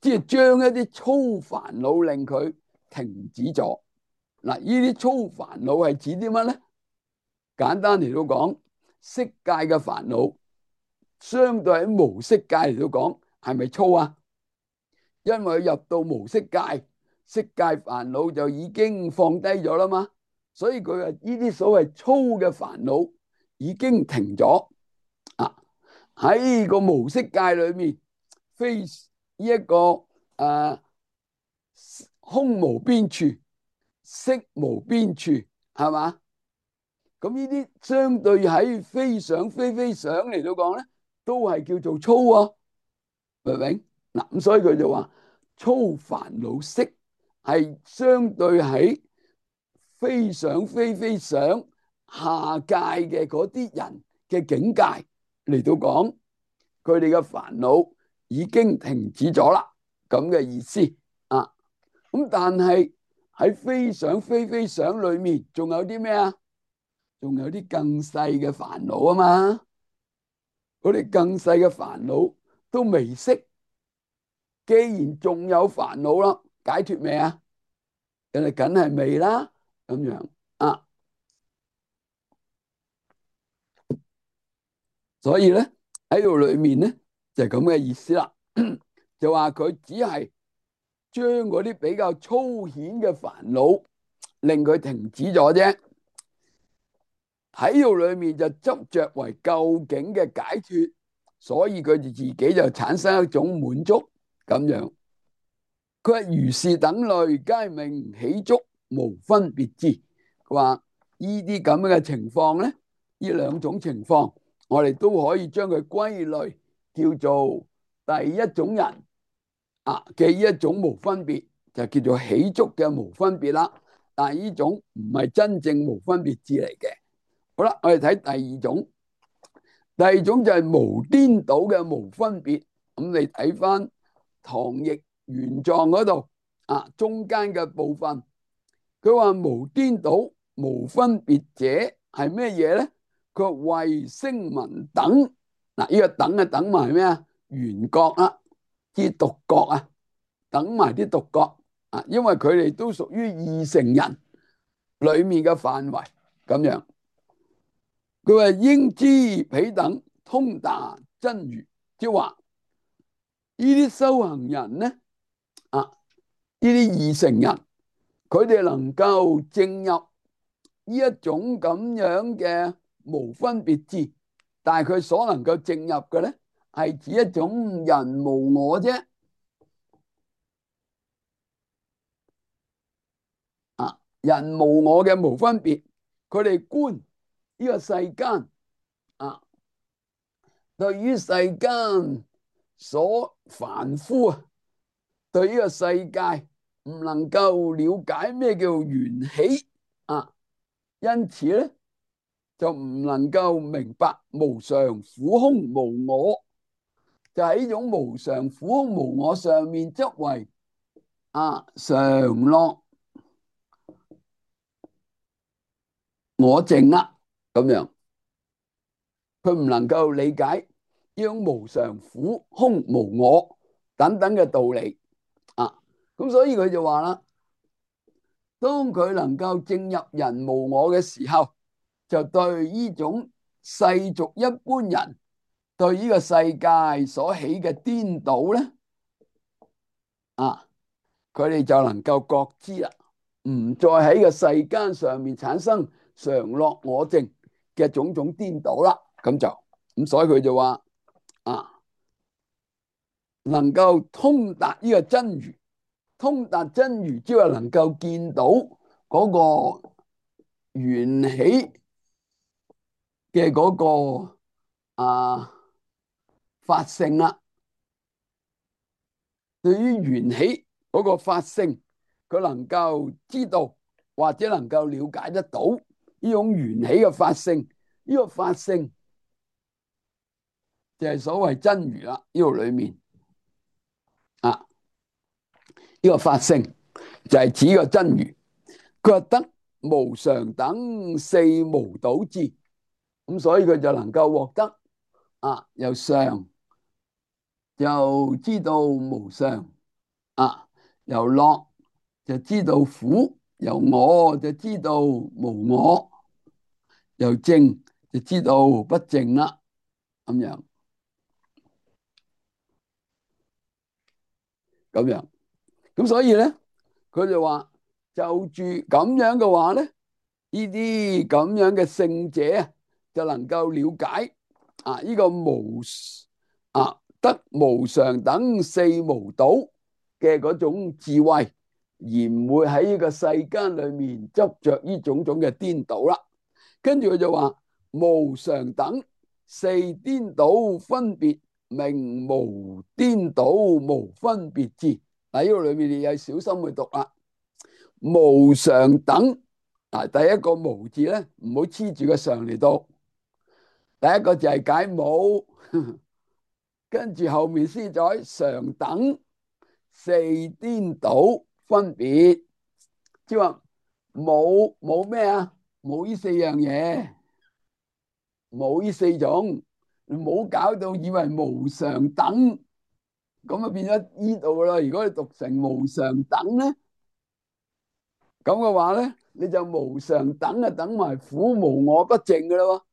即係將一啲粗煩惱令佢停止咗。嗱，呢啲粗煩惱係指啲乜咧？簡單嚟到講，色界嘅煩惱，相對喺無色界嚟到講，係咪粗啊？因為入到無色界，色界煩惱就已經放低咗啦嘛，所以佢話呢啲所謂粗嘅煩惱已經停咗啊！喺個無色界裏面，非呢一個空無邊處，色無邊處，係嘛？咁呢啲相對喺非想非非想嚟到講咧，都係叫做粗啊，明唔明？嗱，咁所以佢就話粗煩惱識係相對喺非想非非想下界嘅嗰啲人嘅境界嚟到講，佢哋嘅煩惱已經停止咗啦，咁嘅意思啊。咁但係喺非想非非想裏面，仲有啲咩啊？仲有啲更細嘅煩惱啊嘛，嗰啲更細嘅煩惱都未識，既然仲有煩惱啦，解脫未啊？人哋梗係未啦，咁樣啊，所以咧喺度裏面咧就係咁嘅意思啦，就話佢只係將嗰啲比較粗顯嘅煩惱令佢停止咗啫。喺度裏面就執着為究竟嘅解脫，所以佢哋自己就產生一種滿足咁樣。佢話如是等類皆名起觸無分別智。佢話呢啲咁樣嘅情況咧，呢兩種情況，我哋都可以將佢歸類叫做第一種人啊嘅一種無分別，就叫做起觸嘅無分別啦。但係呢種唔係真正無分別智嚟嘅。好啦，我哋睇第二種，第二種就係無顛倒嘅無分別。咁你睇翻唐譯原狀嗰度啊，中間嘅部分，佢話無顛倒無分別者係咩嘢咧？佢話慧聲聞等。嗱，呢個等啊等埋咩啊？緣覺啊，啲獨覺啊，等埋啲獨覺啊，因為佢哋都屬於二乘人裏面嘅範圍咁樣。佢話應知彼等通達真如，即係話呢啲修行人咧啊，呢啲二乘人，佢哋能夠證入呢一種咁樣嘅無分別智，但係佢所能夠證入嘅咧，係指一種人無我啫。啊，人無我嘅無分別，佢哋觀呢個世間啊，對於世間所凡夫啊，對呢個世界唔能夠了解咩叫緣起啊，因此咧就唔能夠明白無常、苦空、無我，就喺呢種無常、苦空、無我上面執為常樂我淨啦，咁樣佢唔能夠理解呢種無常、苦空、無我等等嘅道理啊，咁所以佢就話啦，當佢能夠證入人無我嘅時候，就對呢種世俗一般人對呢個世界所起嘅顛倒咧，佢哋就能夠覺知啦，唔再喺個世間上面產生常樂我淨嘅種種顛倒啦。咁所以佢就話能夠通達呢個真如，通達真如之後能夠見到嗰個緣起嘅嗰個法性啦。對於緣起嗰個法性，佢能夠知道或者能夠了解得到呢種緣起嘅法性，呢個法性就係所謂真如啦。呢度裏面呢個法性就係指個真如。佢話得無常等四無倒智，咁所以佢就能夠獲得由常就知道無常，由樂就知道苦，由我就知道無我，由淨就知道不淨啦。咁樣咁樣，咁所以咧，佢就話就住咁樣嘅話咧，呢啲咁樣嘅聖者啊，就能夠了解呢個得無常等四無倒嘅嗰種智慧，而唔會喺呢個世間裏面執着呢種種嘅顛倒啦。跟住佢就話無常等四顛倒分別名無顛倒無分別智。喺呢個裏面你要小心去讀啦。無常等第一個無字咧，唔好黐住個常嚟讀。第一個就係解冇，跟住後面先再常等四顛倒分別，即係話冇咩啊？冇呢四樣嘢，冇呢四種，你唔好搞到以為無常等，咁啊變咗呢度噶啦。如果你讀成無常等咧，咁嘅話咧，你就無常等啊，等埋苦無我不淨噶啦，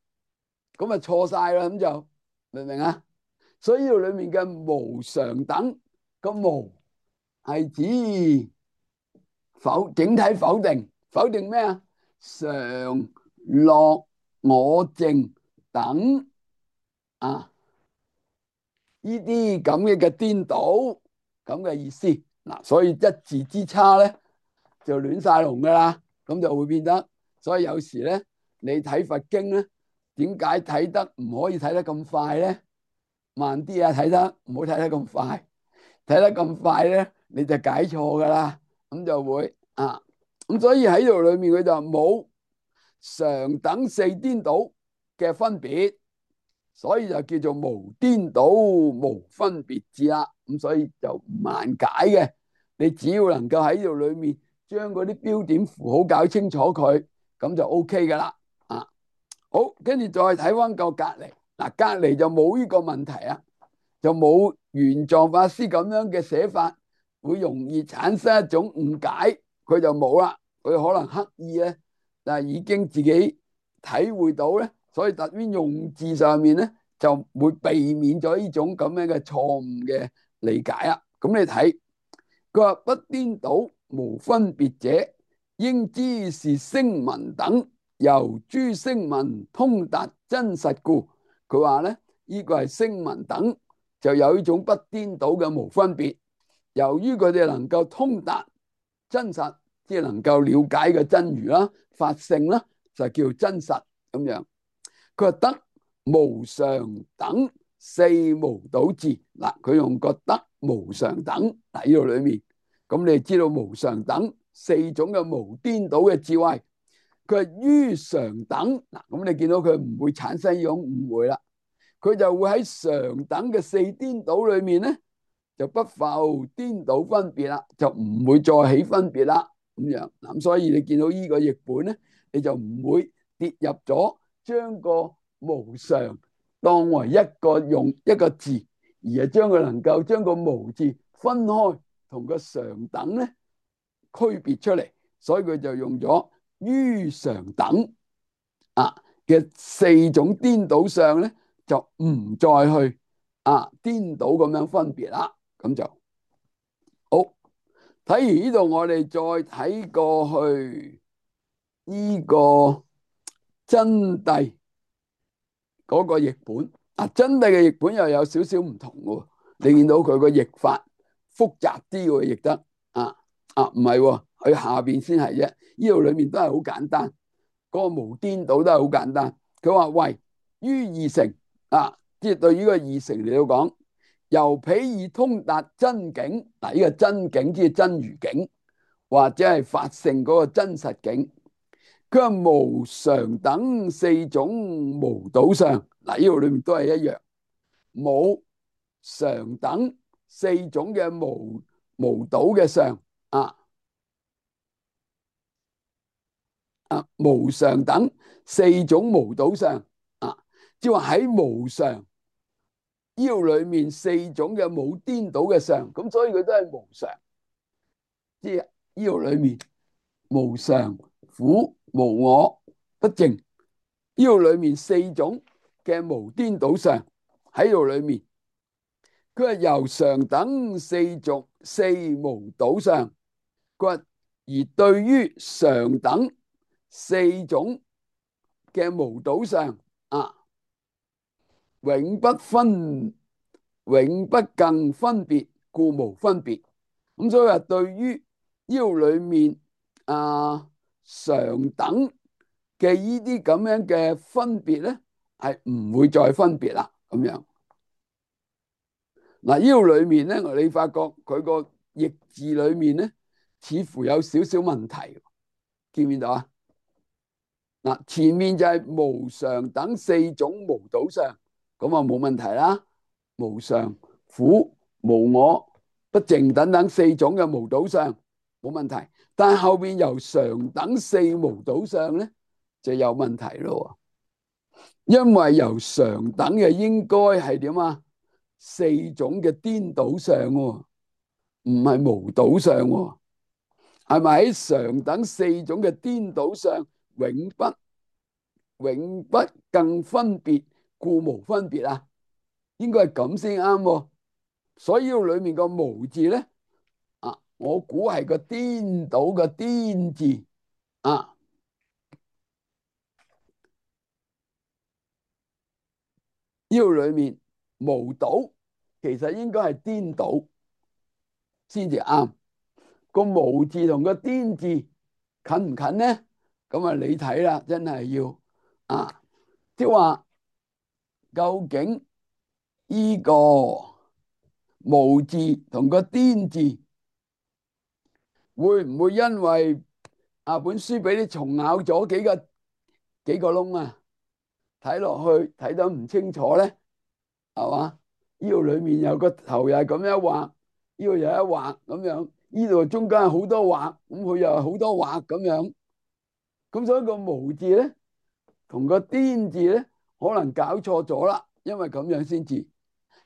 咁啊錯晒啦，咁就明唔明啊？所以呢度裏面嘅無常等個無係指整體否定，否定咩啊？常樂我淨等呢啲咁嘅顛倒咁嘅意思嗱，所以一字之差咧就亂晒龍噶啦，咁就會變得。所以有時咧，你睇佛經咧，點解睇得唔可以睇得咁快咧？慢啲啊，睇得唔好睇得咁快，睇得咁快咧，你就解錯噶啦，咁就會咁所以喺度裏面佢就冇常等四顛倒嘅分別。所以就叫做無顛倒無分別智啦，咁所以就唔難解嘅。你只要能夠喺度裏面將嗰啲標點符號搞清楚佢，咁就 OK 噶啦。好，跟住再睇翻個隔籬，隔籬就冇呢個問題啊，就冇玄奘法師咁樣嘅寫法，會容易產生一種誤解，佢就冇啦。佢可能刻意咧，但係已經自己體會到咧。所以特別用字上面咧，就會避免咗呢種咁樣嘅錯誤嘅理解啊。咁你睇，佢話不顛倒無分別者，應知是聲聞等，由諸聲聞通達真實故。佢話咧，呢個係聲聞等就有呢種不顛倒嘅無分別，由於佢哋能夠通達真實，即係能夠了解嘅真如啦、法性啦，就叫真實咁樣。佢話得無常等四無倒智。嗱，佢用個得無常等喺呢度裏面，咁你知道無常等四種嘅無顛倒嘅智慧。佢係於常等。嗱，咁你見到佢唔會產生呢種誤會啦，佢就會喺常等嘅四顛倒裏面咧，就不復顛倒分別啦，就唔會再起分別啦咁樣。咁所以你見到呢個譯本咧，你就唔會跌入咗將個無常當為用一個字，而係將佢能夠將個無字分開同個常等咧區別出嚟，所以佢就用咗於常等嘅四種顛倒相咧，就唔再去顛倒咁樣分別啦。咁就好。睇完呢度，我哋再睇過去呢個真諦嗰個譯本。真諦嘅譯本又有少少唔同喎。你見到佢個譯法複雜啲喎，譯得唔係喎，佢下邊先係啫。呢度裏面都係好簡單，嗰個無顛倒都係好簡單。佢話為於二乘即係對於個二乘嚟到講，由彼而通達真境。嗱，呢個真境即係真如境，或者係法性嗰個真實境。佢話無常等四種無倒相。嗱，呢度裏面都係一樣，冇常等四種嘅無倒嘅相無常等四種無倒相即係話喺無常呢度裏面四種嘅冇顛倒嘅相，咁所以佢都係無常。即係呢度裏面無常、苦、無我、不淨，呢度裏面四種嘅無顛倒相喺度裏面。佢係由常等四無倒相，佢話而對於常等四種嘅無倒相永不更分別，故無分別。咁所以話對於呢度裏面常等嘅呢啲咁樣嘅分別咧，係唔會再分別啦。咁樣嗱，呢度裏面咧，你發覺佢個譯字裏面咧，似乎有少少問題，見唔見到啊？嗱，前面就係無常等四種無倒相，咁啊冇問題啦。無常、苦、無我、不淨等等四種嘅無倒相冇問題，但係後邊由常等四無倒相咧就有問題咯。因為由常等嘅應該係點啊？四種嘅顛倒相，唔係無倒相，係咪喺常等四種嘅顛倒相永不更分別，故無分別啊？應該係咁先啱。所以呢裏面個無字咧我估係個顛倒嘅顛字呢度裏面無倒其實應該係顛倒先至啱。個無字同個顛字近唔近呢？咁你睇啦，真係要即係話究竟呢個無字同個顛字會唔會因為本書俾你蟲咬咗幾個窿睇落去睇得唔清楚咧？係嘛？呢度裏面有個頭又係咁樣畫，呢度又一畫咁樣，呢度中間係好多畫，咁佢又係好多畫咁樣。咁所以個無字咧同個顛字咧可能搞錯咗啦，因為咁樣先至。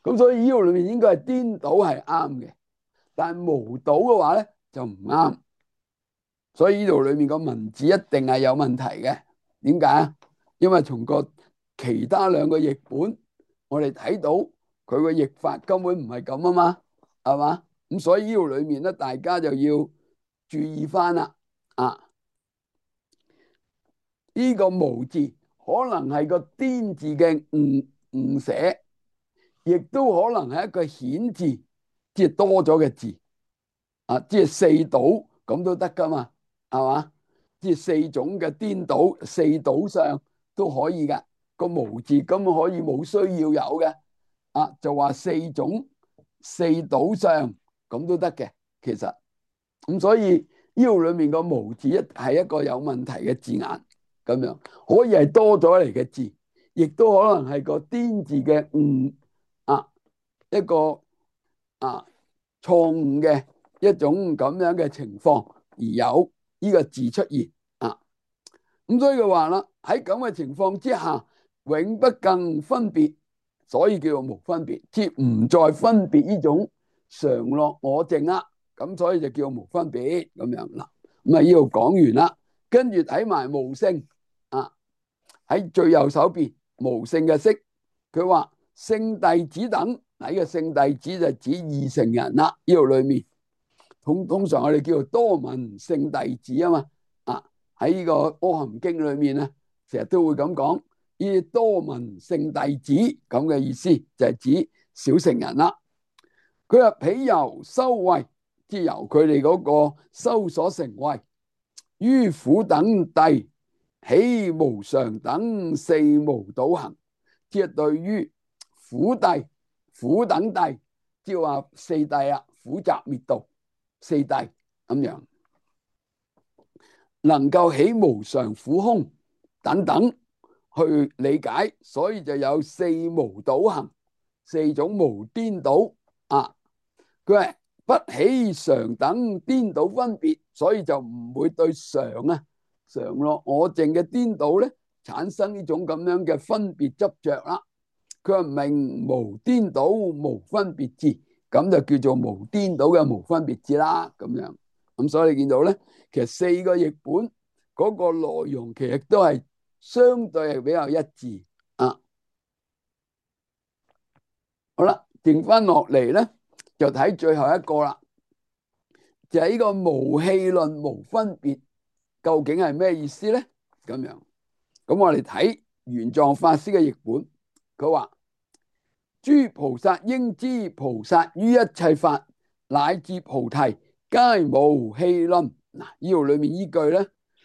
咁所以呢度裏面應該係顛倒係啱嘅，但係無倒嘅話咧就唔啱。所以呢度裏面個文字一定係有問題嘅。點解啊？因為從個其他兩個譯本，我哋睇到佢個譯法根本唔係咁啊嘛，係嘛？咁所以呢度裏面咧，大家就要注意翻啦。呢個無字可能係個顛字嘅誤寫，亦都可能係一個顯字，即係多咗嘅字即係四倒咁都得噶嘛。係嘛？即係四種嘅顛倒，四倒相都可以嘅。個無字根本可以冇需要有嘅，就話四種四倒相咁都得嘅。其實咁所以呢度裏面個無字係一個有問題嘅字眼，咁樣可以係多咗嚟嘅字，亦都可能係個顛字嘅誤一個錯誤嘅一種咁樣嘅情況而有呢個字出現咁所以佢話啦，喺咁嘅情況之下，永不更分別，所以叫做無分別，即唔再分別呢種常樂我淨啦，咁所以就叫無分別咁樣啦。咁呢度講完啦，跟住睇埋無性喺最右手邊無性嘅色，佢話聖弟子等，呢個聖弟子就指二乘人啦。呢度裏面通常我哋叫做多聞聖弟子啊嘛，喺呢個《阿含經》裏面咧，成日都會咁講，呢多聞聖弟子咁嘅意思就係指小乘人啦。佢話彼由修慧，即係由佢哋嗰個修所成慧，於苦等諦起無常等四無倒行，即係對於苦諦、苦等諦，即係話四諦啊，苦集滅道四諦咁樣。能夠起無常苦空等等去理解，所以就有四無倒行，四種無顛倒佢係不起常等顛倒分別，所以就唔會對常樂我淨嘅顛倒咧產生呢種咁樣嘅分別執着啦。佢話名無顛倒無分別智，咁就叫做無顛倒嘅無分別智啦。咁樣咁所以你見到咧，其實四個譯本嗰個內容其實都係相對係比較一致好啦，剩翻落嚟咧就睇最後一個啦，就係呢個無戲論無分別究竟係咩意思咧？咁樣咁我哋睇玄奘法師嘅譯本，佢話諸菩薩應知菩薩於一切法乃至菩提皆無戲論。嗱，呢度裏面依句咧，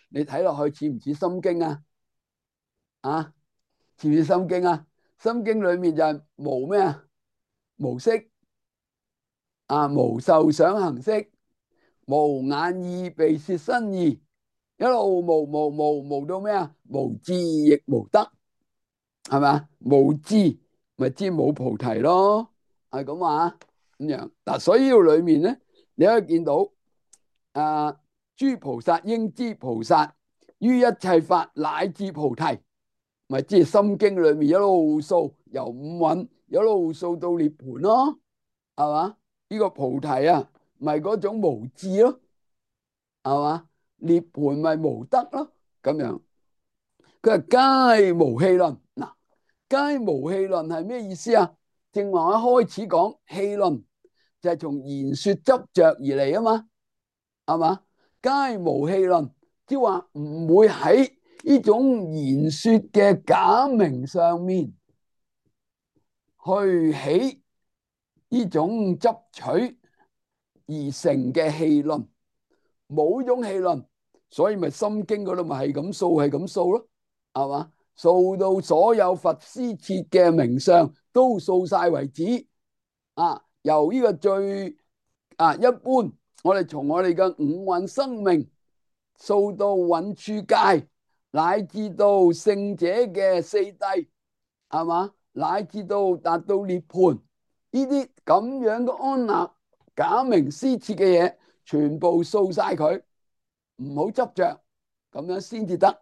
你睇落去似唔似心經似唔似心經心經裏面就係無咩無色無受想行識，無眼耳鼻舌身意，一路無到咩無智亦無得，係咪無智咪知冇菩提咯，係咁話咁樣嗱。所以呢度裏面咧，你可以見到諸菩薩應知菩薩於一切法乃至菩提，咪即係心經裏面一路數由五蘊一路數到涅槃咯，係嘛？呢個菩提咪嗰種無智咯，係嘛？涅槃咪無得咯，咁樣佢話皆無戲論。嗱，皆無戲論係咩意思啊？正話一開始講戲論就係從言說執着而嚟啊嘛，係嘛？皆無戲論，即係話唔會喺呢種言說嘅假名上面去起呢種執取而成嘅戲論，冇種戲論，所以咪心經嗰度咪係咁數係咁數咯，係嘛？數到所有佛施設嘅名相都數晒為止由呢個最一般，我哋從我哋嘅五蘊生命數到蘊處界，乃至到聖者嘅四諦，係嘛？乃至到達到涅槃，呢啲咁樣嘅安立假名施設嘅嘢，全部掃晒佢，唔好執着，咁樣先至得，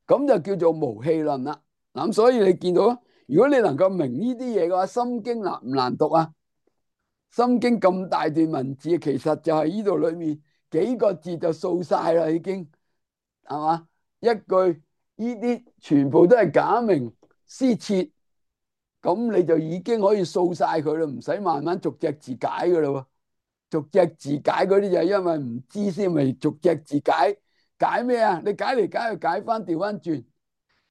咁就叫做無戲論啦。咁所以你見到，如果你能夠明呢啲嘢嘅話，心經難唔難讀啊？心經咁大段文字，其實就係呢度裏面幾個字就掃晒啦，已經係嘛？一句呢啲全部都係假名施設，咁你就已經可以掃晒佢啦，唔使慢慢逐隻字解噶啦。逐隻字解嗰啲就係因為唔知先，咪逐隻字解。解咩啊？你解嚟解去解翻，調翻轉，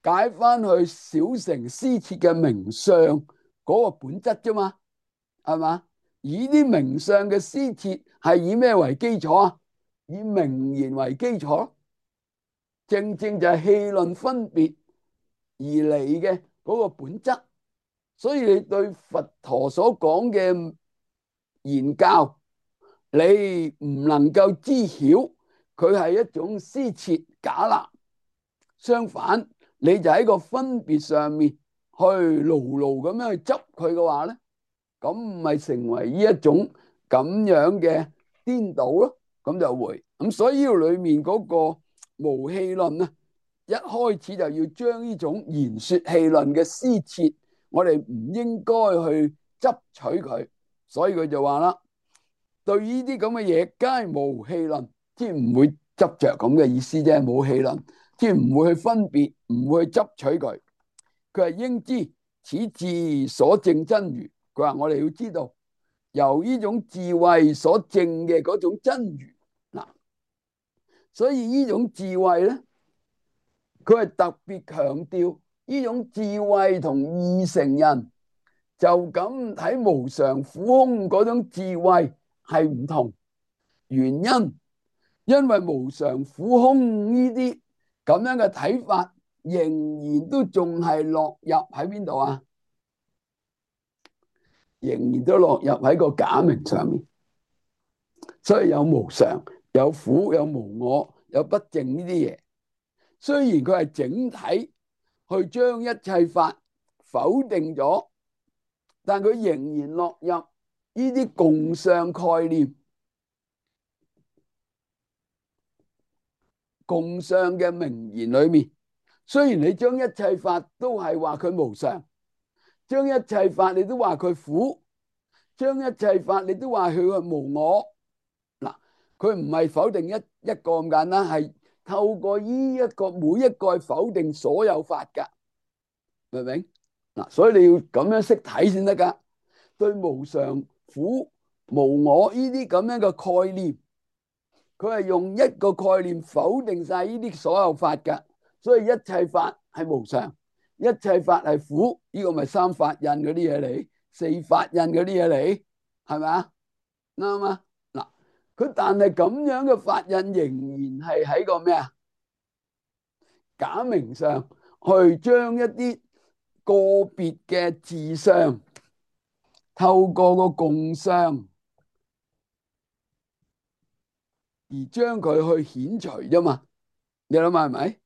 解翻去小乘施設嘅名相嗰個本質啫嘛，係嘛？以啲名相嘅施設係以咩為基礎啊？以名言為基礎，正正就係戲論分別而嚟嘅嗰個本質。所以你對佛陀所講嘅言教，你唔能夠知曉佢係一種施設假立，相反，你就喺個分別上面去牢牢咁樣去執佢嘅話咧，咁咪成為呢一種咁樣嘅顛倒咯。咁就會咁，所以呢度裏面嗰個無戲論啊，一開始就要將呢種言說戲論嘅施設，我哋唔應該去執取佢。所以佢就話啦，對呢啲咁嘅嘢，皆無戲論，即係唔會執着咁嘅意思啫，冇戲論，即係唔會去分別，唔會去執取佢。佢係應知此智所證真如。佢話我哋要知道，由呢種智慧所證嘅嗰種真如嗱，所以呢種智慧咧，佢係特別強調呢種智慧同二乘人就咁睇無常苦空嗰種智慧係唔同。原因為無常苦空呢啲咁樣嘅睇法，仍然都仲係落入喺邊度啊？仍然都落入喺個假名上面，所以有無常、有苦、有無我、有不淨呢啲嘢。雖然佢係整體去將一切法否定咗，但佢仍然落入呢啲共相概念、共相嘅名言裏面。雖然你將一切法都係話佢無常，將一切法你都話佢苦，將一切法你都話佢係無我。嗱，佢唔係否定一個咁簡單，係透過呢一個每一個否定所有法噶，明唔明？嗱，所以你要咁樣識睇先得噶。對無常、苦、無我呢啲咁樣嘅概念，佢係用一個概念否定晒呢啲所有法噶。所以一切法係無常，一切法係苦，呢個咪三法印嗰啲嘢嚟，四法印嗰啲嘢嚟，係咪啊？啱啊！嗱，佢但係咁樣嘅法印仍然係喺個咩啊？假名上去將一啲個別嘅自相，透過個共相而將佢去顯除啫嘛。你諗下係咪？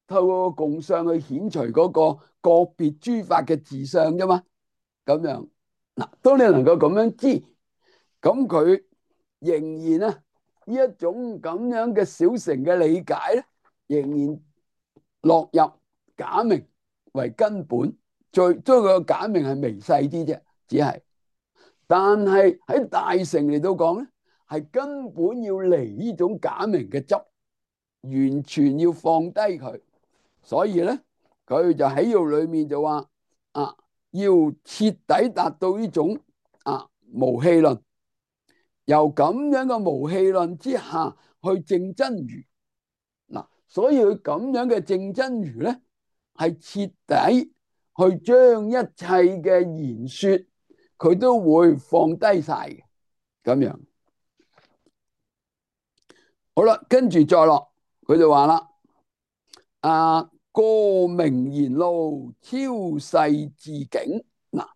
透過個共相去顯除嗰個別諸法嘅自相啫嘛。咁樣嗱，當你能夠咁樣知，咁佢仍然啊呢一種咁樣嘅小乘嘅理解咧，仍然落入假名為根本。最將個假名係微細啲啫，只係，但係喺大乘嚟到講咧，係根本要離呢種假名嘅執，完全要放低佢。所以咧，佢就喺度裏面就話啊，要徹底達到呢種無戲論，由咁樣嘅無戲論之下去證真如嗱。所以佢咁樣嘅證真如咧，係徹底去將一切嘅言說，佢都會放低晒嘅咁樣。好啦，跟住再落，佢就話啦，過名言路，超世自境嗱，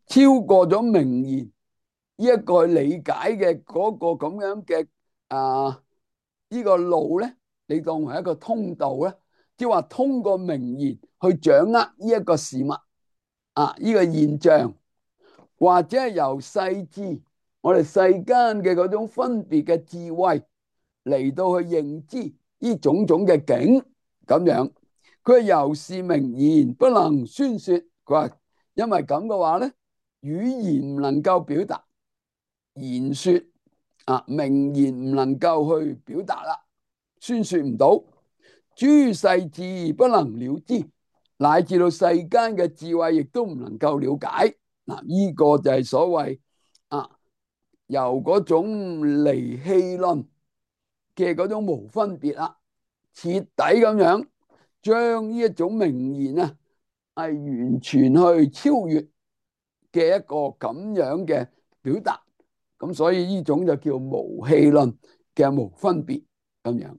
超過咗名言呢一個理解嘅嗰個咁樣嘅呢個路咧，你當為一個通道咧，即係話通過名言去掌握呢一個事物呢個現象，或者係由世智我哋世間嘅嗰種分別嘅智慧嚟到去認知呢種種嘅境咁樣。佢係由是名言不能宣說，佢話因為咁嘅話咧，語言唔能夠表達，言說名言唔能夠去表達啦，宣說唔到，諸世智不能了知，乃至到世間嘅智慧亦都唔能夠了解。嗱，呢個就係所謂由嗰種離戲論嘅嗰種無分別啦，徹底咁樣將呢一種名言係完全去超越嘅一個咁樣嘅表達。咁所以呢種就叫無戲論，嘅無分別咁樣。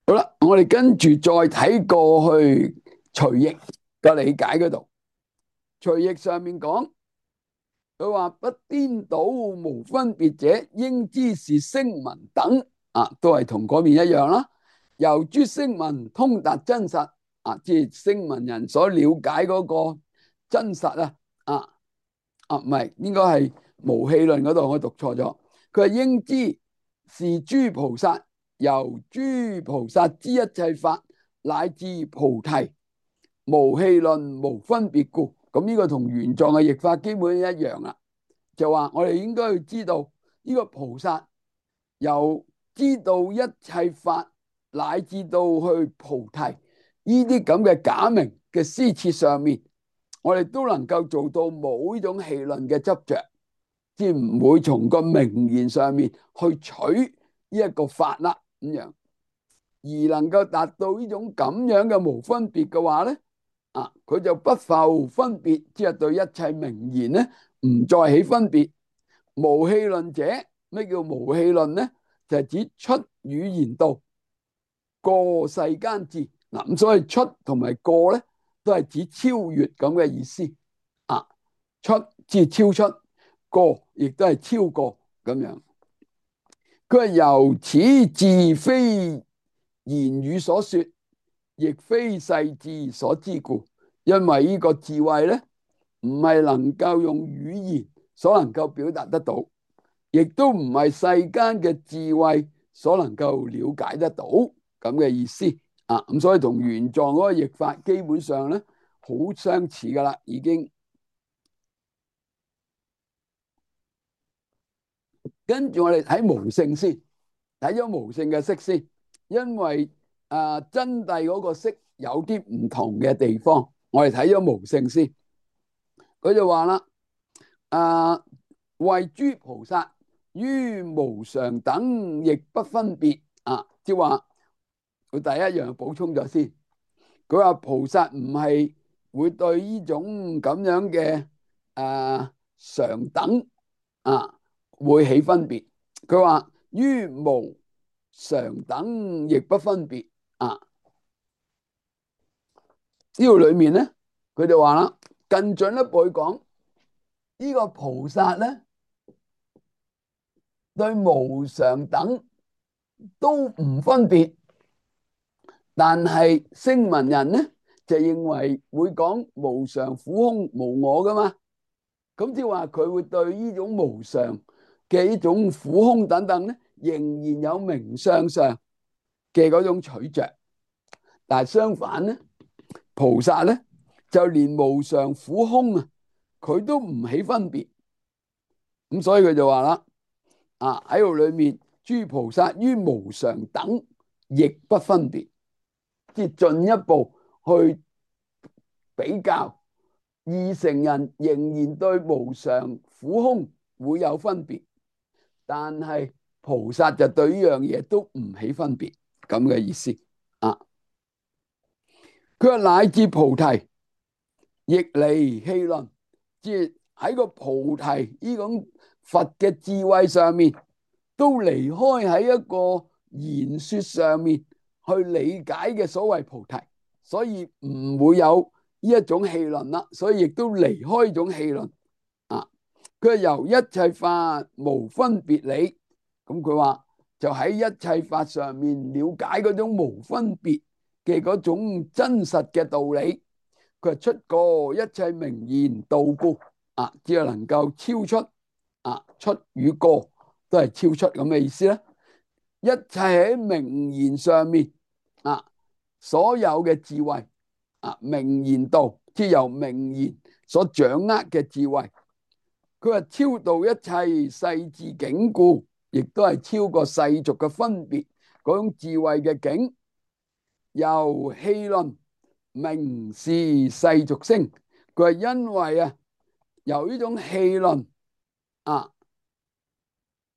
好啦，我哋跟住再睇過去隨譯嘅理解嗰度，隨譯上面講，佢話不顛倒無分別者，應知是聲聞等啊，都係同嗰邊一樣啦。由諸聲聞通達真實啊，即係聲聞人所了解嗰個真實唔係，應該係無戲論嗰度我讀錯咗。佢係應知是諸菩薩由諸菩薩之一切法乃至菩提無戲論無分別故。咁呢個同原狀嘅譯法基本一樣啦，就話我哋應該要知道呢個菩薩由知道一切法乃至到去菩提呢啲咁嘅假名嘅施設上面，我哋都能夠做到冇呢種戲論嘅執着，即係唔會從個名言上面去取呢一個法啦咁樣，而能夠達到呢種咁樣嘅無分別嘅話咧，佢就不復分別，即係對一切名言咧唔再起分別。無戲論者，咩叫無戲論咧？就係指出語言道，過世間智。咁所以出同埋過咧，都係指超越咁嘅意思。出即係超出，過亦都係超過咁樣。佢係由此智非言語所說，亦非世智所知故。因為呢個智慧咧，唔係能夠用語言所能夠表達得到，亦都唔係世間嘅智慧所能夠了解得到咁嘅意思。咁所以同原狀嗰個譯法基本上咧好相似噶啦，已經。跟住我哋睇無性先，睇咗無性嘅釋先，因為真諦嗰個釋有啲唔同嘅地方，我哋睇咗無性先。佢就話啦，謂諸菩薩於無常等亦不分別。即係話佢第一樣補充咗先，佢話菩薩唔係會對呢種咁樣嘅常等會起分別。佢話於無常等亦不分別。呢度裏面咧，佢就話啦，更進一步去講，呢個菩薩咧對無常等都唔分別，但係聲聞人咧就認為會講無常、苦空、無我噶嘛。咁即係話佢會對呢種無常嘅呢種苦空等等咧，仍然有名相上嘅嗰種取着。但係相反咧，菩薩咧就連無常、苦空佢都唔起分別。咁所以佢就話啦，喺度裏面，諸菩薩於無常等亦不分別，即係進一步去比較。二乘人仍然對無常、苦空會有分別，但係菩薩就對呢樣嘢都唔起分別，咁嘅意思。佢話乃至菩提亦離戲論，即係喺個菩提呢種佛嘅智慧上面，都離開喺一個言說上面去理解嘅所謂菩提，所以唔會有呢一種戲論啦，所以亦都離開呢種戲論。佢係由一切法無分別理，咁佢話就喺一切法上面了解嗰種無分別嘅嗰種真實嘅道理。佢係出過一切名言道故，只係能夠超出，出與過都係超出咁嘅意思啦。一切喺名言上面，所有嘅智慧，名言道，即係由名言所掌握嘅智慧。佢話超度一切世智境故，亦都係超過世俗嘅分別嗰種智慧嘅境。由戲論名是世俗聲，佢係因為由呢種戲論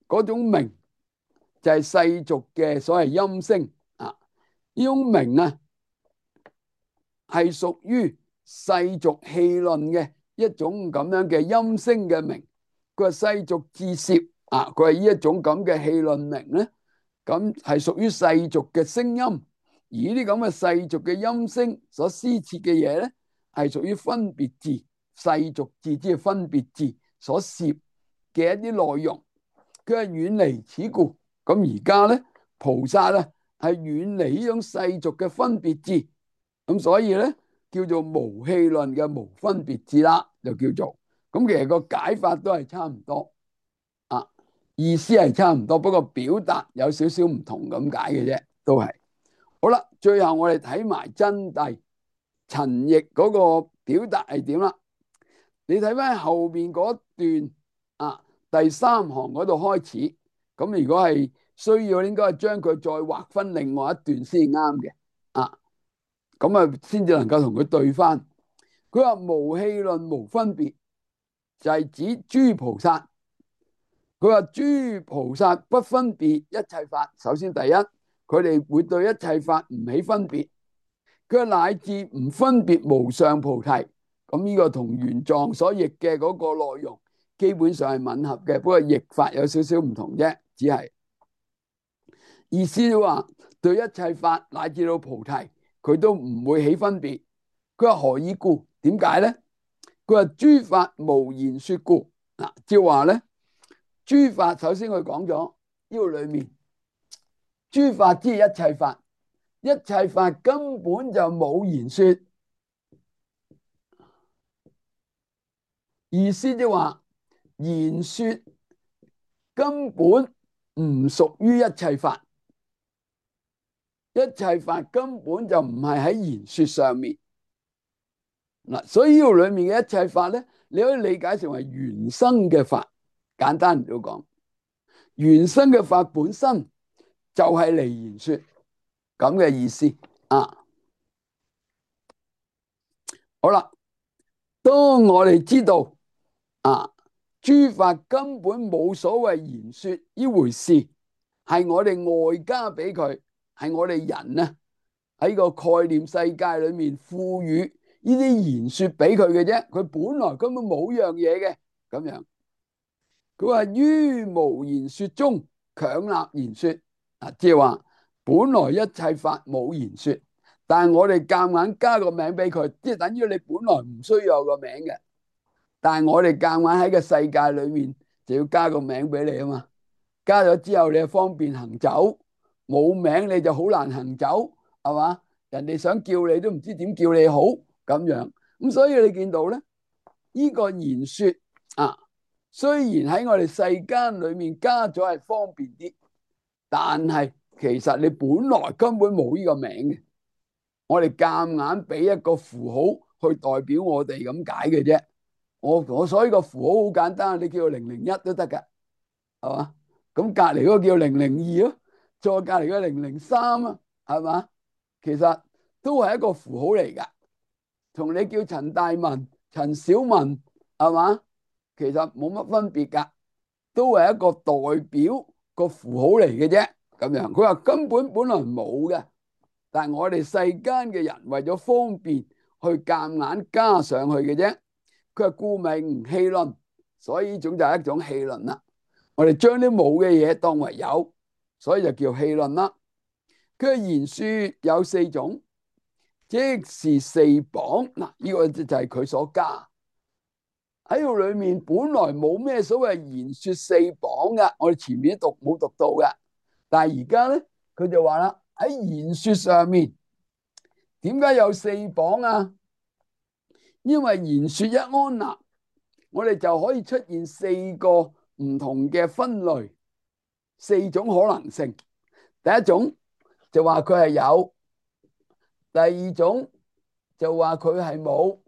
嗰種名就係世俗嘅所謂音聲。呢種名係屬於世俗戲論嘅一種咁樣嘅音聲嘅名。佢話世俗自攝啊，佢係呢一種咁嘅戲論名咧，咁係屬於世俗嘅聲音，而呢啲咁嘅世俗嘅音聲所施設嘅嘢咧，係屬於分別字、世俗字即係分別字所攝嘅一啲內容，佢係遠離此故。咁而家咧，菩薩咧係遠離呢種世俗嘅分別字，咁所以咧叫做無戲論嘅無分別字啦，就叫做咁。其實個解法都係差唔多啊，意思係差唔多，不過表達有少少唔同咁解嘅啫，都係。好啦，最後我哋睇埋真諦陳譯嗰個表達係點啦？你睇翻後邊嗰段啊，第三行嗰度開始，咁如果係需要，應該係將佢再劃分另外一段先啱嘅啊，咁啊先至能夠同佢對翻。佢話無戲論無分別，就係指諸菩薩。佢話諸菩薩不分別一切法，首先第一，佢哋會對一切法唔起分別。佢話乃至唔分別無上菩提，咁呢個同原藏所譯嘅嗰個內容基本上係吻合嘅，不過譯法有少少唔同啫，只係意思話對一切法乃至到菩提，佢都唔會起分別。佢話何以故？點解咧？佢話諸法無言說故。嗱，即係話咧，諸法首先佢講咗呢個裏面，諸法即係一切法，一切法根本就冇言說。意思即係話言說根本唔屬於一切法，一切法根本就唔係喺言說上面。嗱，所以呢度裏面嘅一切法咧，你可以理解成為原生嘅法。簡單嚟講，原生嘅法本身就係離言說咁嘅意思啊。好啦，當我哋知道啊，諸法根本冇所謂言說呢回事，係我哋外加俾佢，係我哋人啊喺個概念世界裏面賦予呢啲言說俾佢嘅啫，佢本來根本冇樣嘢嘅咁樣。佢話於無言說中強立言說，啊，即係話本來一切法冇言說，但係我哋夾硬加個名俾佢，即係等於你本來唔需要有個名嘅，但係我哋夾硬喺個世界裏面就要加個名俾你啊嘛。加咗之後你就方便行走，冇名你就好難行走，係嘛？人哋想叫你都唔知點叫你好咁樣。咁所以你見到咧，呢個言說啊，雖然喺我哋世間裏面加咗係方便啲，但係其實你本來根本冇呢個名嘅，我哋夾硬俾一個符號去代表我哋咁解嘅啫。我所以個符號好簡單，你叫做001都得噶，係嘛？咁隔籬嗰個叫002咯，再隔籬嗰003啊，係嘛？其實都係一個符號嚟噶，同你叫陳大文、陳小文，係嘛？其實冇乜分別噶，都係一個代表個符號嚟嘅啫。咁樣佢話根本來冇嘅，但係我哋世間嘅人為咗方便去夾硬加上去嘅啫。佢話故名戲論，所以呢種就係一種戲論啦。我哋將啲冇嘅嘢當為有，所以就叫戲論啦。佢嘅言說有4種，即是四綁。嗱，呢個就係佢所加喺度裏面，本來冇咩所謂言說四綁噶，我哋前面讀冇讀到噶。但係而家咧，佢就話啦，喺言說上面，點解有四綁啊？因為言說一安立，我哋就可以出現4個唔同嘅分類，4種可能性。第一種就話佢係有，第二種就話佢係冇，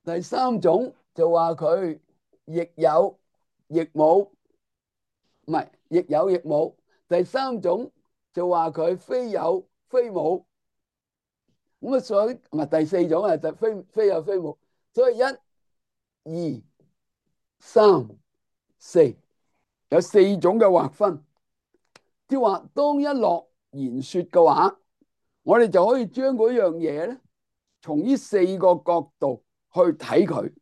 第三種就話佢亦有亦冇，唔係亦有亦冇。第三種就話佢非有非冇。咁啊，所以唔係第四種啊，就非有非冇。所以1、2、3、4有4種嘅劃分。即係話，當一落言說嘅話，我哋就可以將嗰樣嘢咧，從呢4個角度去睇佢，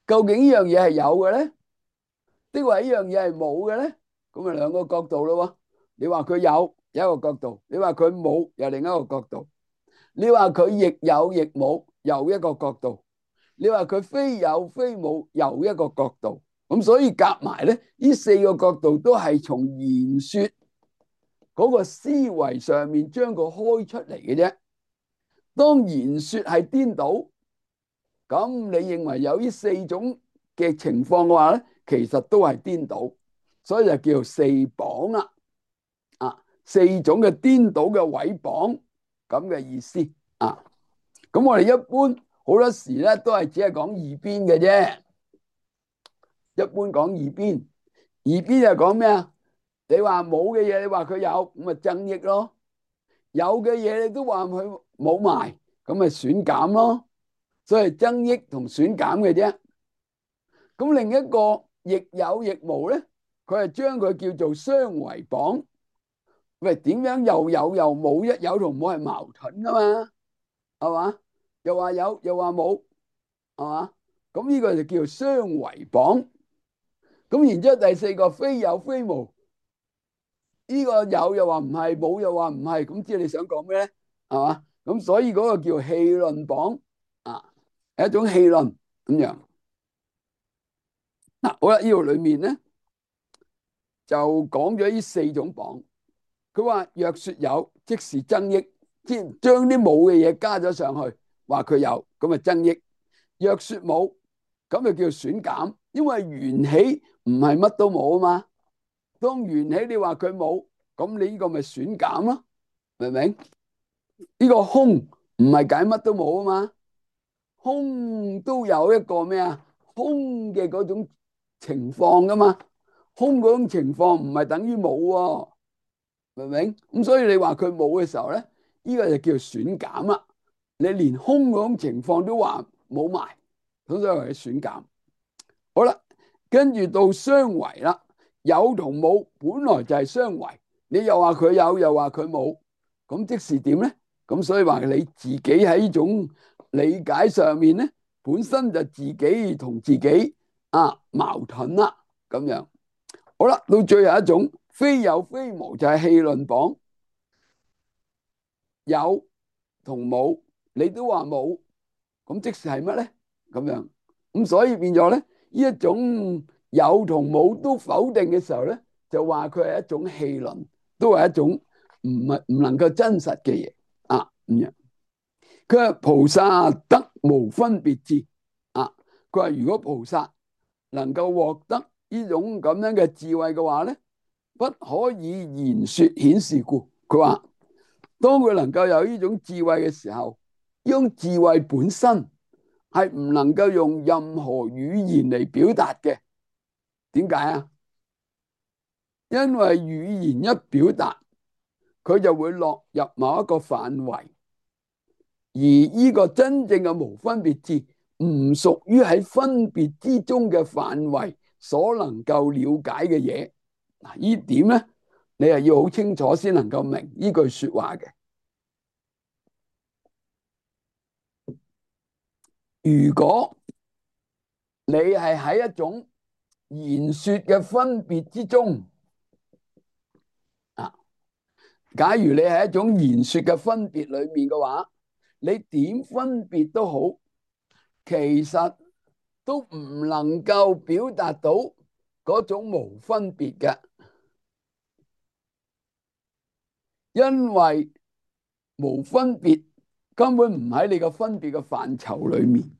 究竟呢樣嘢係有嘅咧，的話呢樣嘢係冇嘅咧，咁咪兩個角度咯。你話佢有一個角度，你話佢冇又另一個角度，你話佢亦有亦冇又一個角度，你話佢非有非冇又一個角度。咁所以夾埋咧，呢四個角度都係從言說嗰個思維上面將佢開出嚟嘅啫。當言說係顛倒，咁你認為有呢四種嘅情況嘅話咧，其實都係顛倒，所以就叫做四謗啦。四種嘅顛倒嘅毀謗咁嘅意思啊。咁我哋一般好多時咧都係只係講二邊嘅啫。一般講二邊，二邊就講咩啊？你話冇嘅嘢，你話佢有，咁咪增益咯；有嘅嘢你都話佢冇埋，咁咪損減咯。所以增益同損減嘅啫。咁另一個亦有亦無咧，佢係將佢叫做相違謗。喂，點樣又有又冇？一有同冇係矛盾噶嘛？係嘛？又話有又話冇，係嘛？咁呢個就叫做相違謗。咁然之後第四個非有非無，呢個有又話唔係，冇又話唔係，咁知你想講咩咧？係嘛？咁所以嗰個叫戲論謗啊，係一種戲論咁樣。嗱，好啦，呢度裏面咧就講咗呢四種謗。佢話若說有，即是增益，即係將啲冇嘅嘢加咗上去，話佢有，咁啊增益；若說冇，咁就叫損減，因為緣起唔係乜都冇啊嘛。當緣起你話佢冇，咁你呢個咪損減咯，明唔明？呢個空唔係解乜都冇啊嘛，空都有一個咩啊？空嘅嗰種情況噶嘛，空嗰種情況唔係等於冇喎。明唔明？咁所以你話佢冇嘅時候咧，呢個就叫損減啦。你連空嗰種情況都話冇埋，咁所以係損減。好啦，跟住到相違啦，有同冇本來就係相違，你又話佢有，又話佢冇，咁即是點咧？咁所以話你自己喺呢種理解上面咧，本身就自己同自己矛盾啦，咁樣。好啦，到最後一種。非有非無就係戲論謗，有同冇你都話冇，咁即是係乜咧？咁樣咁所以變咗咧，呢一種有同冇都否定嘅時候咧，就話佢係一種戲論，都係一種唔能夠真實嘅嘢啊咁樣。佢話菩薩得無分別智啊，佢話如果菩薩能夠獲得呢種咁樣嘅智慧嘅話咧，不可以言說顯示故。佢話當佢能夠有呢種智慧嘅時候，呢種智慧本身係唔能夠用任何語言嚟表達嘅。點解啊？因為語言一表達，佢就會落入某一個範圍，而呢個真正嘅無分別智唔屬於喺分別之中嘅範圍所能夠了解嘅嘢。嗱，呢點咧，你係要好清楚先能夠明呢句說話嘅。如果你係喺一種言說嘅分別之中啊，假如你係一種言說嘅分別裏面嘅話，你點分別都好，其實都唔能夠表達到嗰種無分別嘅，因為無分別根本唔喺你個分別嘅範疇裏面。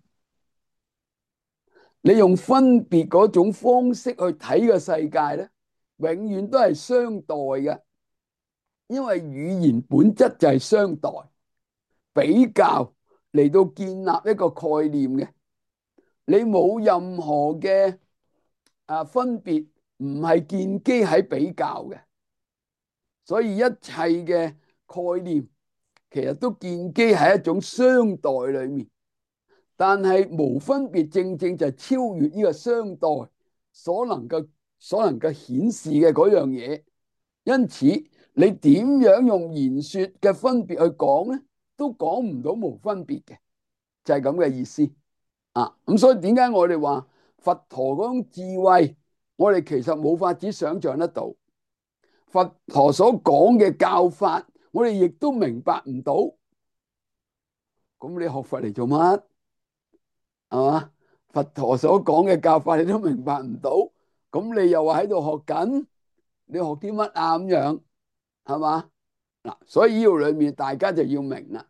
你用分別嗰種方式去睇個世界咧，永遠都係相待嘅，因為語言本質就係相待，比較嚟到建立一個概念嘅。你冇任何嘅分別，唔係建基喺比較嘅，所以一切嘅概念其實都建基喺一種相待裏面。但係無分別正正就係超越呢個相待所能夠顯示嘅嗰樣嘢，因此你點樣用言說嘅分別去講咧，都講唔到無分別嘅，就係咁嘅意思啊。咁所以點解我哋話佛陀嗰種智慧，我哋其實冇法子想象得到。佛陀所講嘅教法，我哋亦都明白唔到。咁你學佛嚟做乜？係嘛？佛陀所講嘅教法你都明白唔到，咁你又話喺度學緊，你學啲乜啊？咁樣係嘛？嗱，所以呢度裏面大家就要明啦。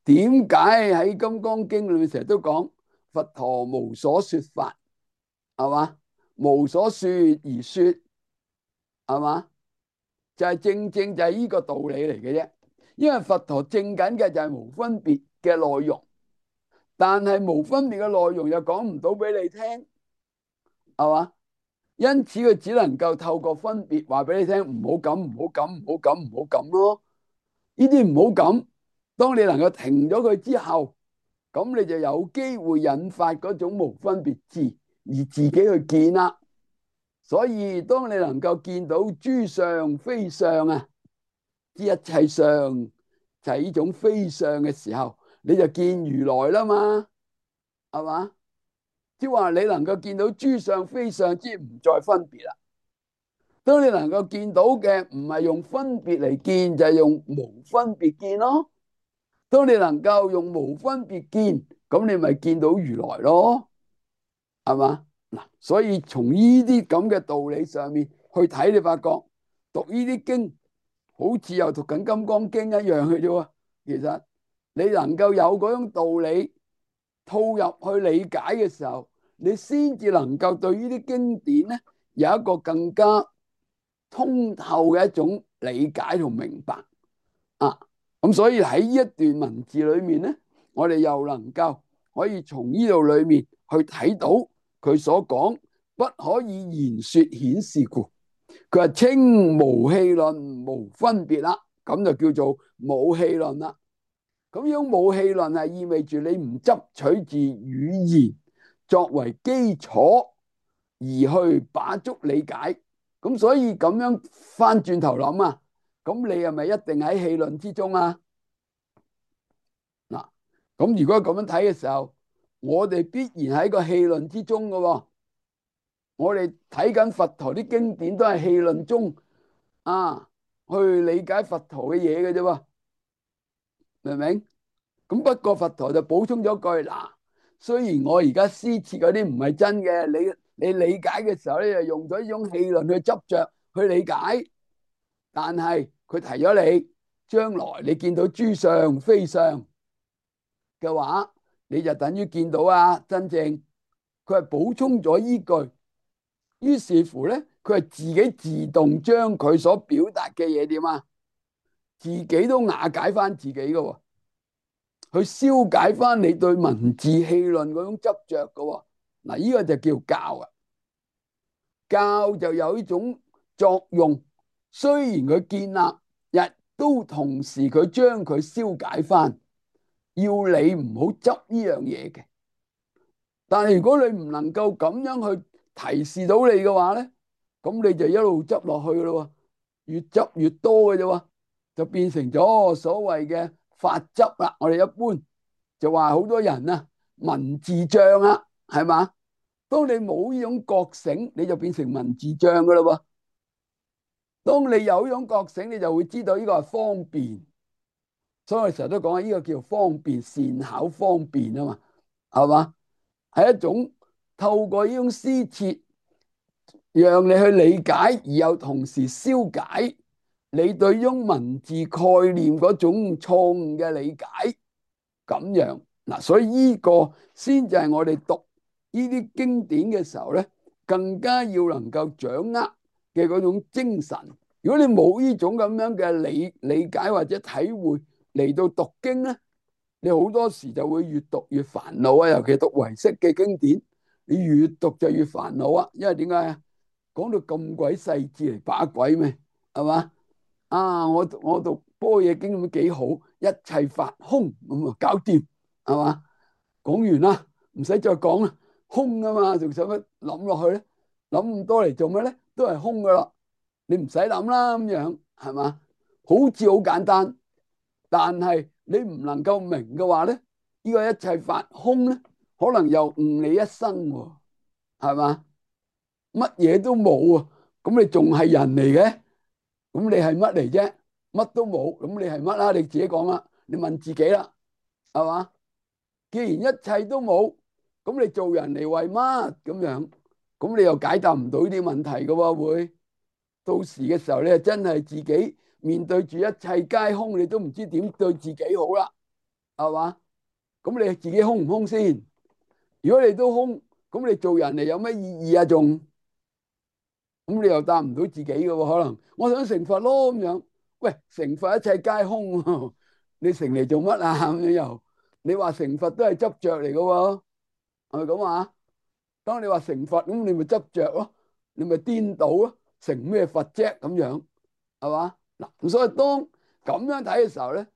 點解喺《金剛經》裏面成日都講佛陀無所說法，係嘛？無所說而說，係嘛？就係正正就係呢個道理嚟嘅啫。因為佛陀正緊嘅就係無分別嘅內容，但係無分別嘅內容又講唔到俾你聽，係嘛？因此佢只能夠透過分別話俾你聽，唔好咁，唔好咁，唔好咁，唔好咁咯。呢啲唔好咁，當你能夠停咗佢之後，咁你就有機會引發嗰種無分別智，而自己去見啦。所以當你能夠見到諸相非相啊，知一切相就係呢種非相嘅時候，你就見如來啦嘛，係嘛？即係話你能夠見到諸相非相，即係唔再分別啦。當你能夠見到嘅唔係用分別嚟見，就係用無分別見咯。當你能夠用無分別見，咁你咪見到如來咯，係嘛？嗱，所以從呢啲咁嘅道理上面去睇，你發覺讀呢啲經好似又讀緊《金剛經》一樣嘅啫喎。其實你能夠有嗰種道理套入去理解嘅時候，你先至能夠對呢啲經典咧有一個更加通透嘅一種理解同明白啊。咁所以喺呢一段文字裏面咧，我哋又能夠可以從呢度裏面去睇到佢所講不可以言說顯示故，佢話稱無戲論無分別啦，咁就叫做冇戲論啦。咁樣冇戲論係意味住你唔執取自語言作為基礎而去把握理解。咁所以咁樣翻轉頭諗啊，咁你係咪一定喺戲論之中啊？嗱，咁如果咁樣睇嘅時候，我哋必然喺個戲論之中嘅喎。我哋睇緊佛陀啲經典都係戲論中啊，去理解佛陀嘅嘢嘅啫喎，明唔明？咁不過佛陀就補充咗句嗱，雖然我而家施設嗰啲唔係真嘅，你理解嘅時候咧，就用咗呢種戲論去執着去理解，但係佢提咗你，將來你見到諸相非相嘅話，你就等於見到啊真正，佢係補充咗依句，於是乎咧，佢係自己自動將佢所表達嘅嘢點啊，自己都瓦解翻自己嘅喎。去消解翻你對文字戲論嗰種執着嘅。嗱，呢個就叫教啊。教就有呢種作用，雖然佢建立，亦都同時佢將佢消解翻，要你唔好執呢樣嘢嘅。但係如果你唔能夠咁樣去提示到你嘅話咧，咁你就一路執落去咯，越執越多嘅啫喎，就變成咗所謂嘅法執啦。我哋一般就話好多人啊，文字障啊，係嘛？當你冇呢種覺醒，你就變成文字障噶啦喎。當你有呢種覺醒，你就會知道呢個係方便。所以我哋成日都講呢個叫方便，善巧方便啊嘛，係嘛？係一種透過呢種施設，讓你去理解，而又同時消解你對呢種文字概念嗰種錯誤嘅理解。咁樣嗱，所以呢個先就係我哋讀呢啲經典嘅時候咧，更加要能夠掌握嘅嗰種精神。如果你冇呢種咁樣嘅理解或者體會嚟到讀經咧，你好多時就會越讀越煩惱啊！尤其讀唯識嘅經典，你越讀就越煩惱啊！因為點解啊？講到咁鬼細緻嚟把鬼咩？係嘛？啊！我讀般若經咁幾好，一切法空咁啊，搞掂係嘛？講完啦，唔使再講啦，空啊嘛，仲使乜諗落去咧？諗咁多嚟做咩咧？都係空噶啦，你唔使諗啦，咁樣係嘛？好似好簡單，但係你唔能夠明嘅話咧，呢個一切法空咧，可能又誤你一生喎，係嘛？乜嘢都冇啊，咁你仲係人嚟嘅？咁你係乜嚟啫？乜都冇，咁你係乜啦？你自己講啦，你問自己啦，係嘛？既然一切都冇，咁你做人嚟為乜咁樣？咁你又解答唔到呢啲問題噶喎，會到時嘅時候你真係自己面對住一切皆空，你都唔知點對自己好啦，係嘛？咁你自己空唔空先？如果你都空，咁你做人嚟有乜意義啊？仲咁你又答唔到自己嘅喎？可能我想成佛咯咁樣。喂，成佛一切皆空喎，你成嚟做乜啊？咁樣又你話成佛都係執着嚟嘅喎，係咪咁啊？當你話成佛咁，你咪執着咯，你咪顛倒咯，成咩佛啫？咁樣係嘛？嗱，咁所以當咁樣睇嘅時候咧，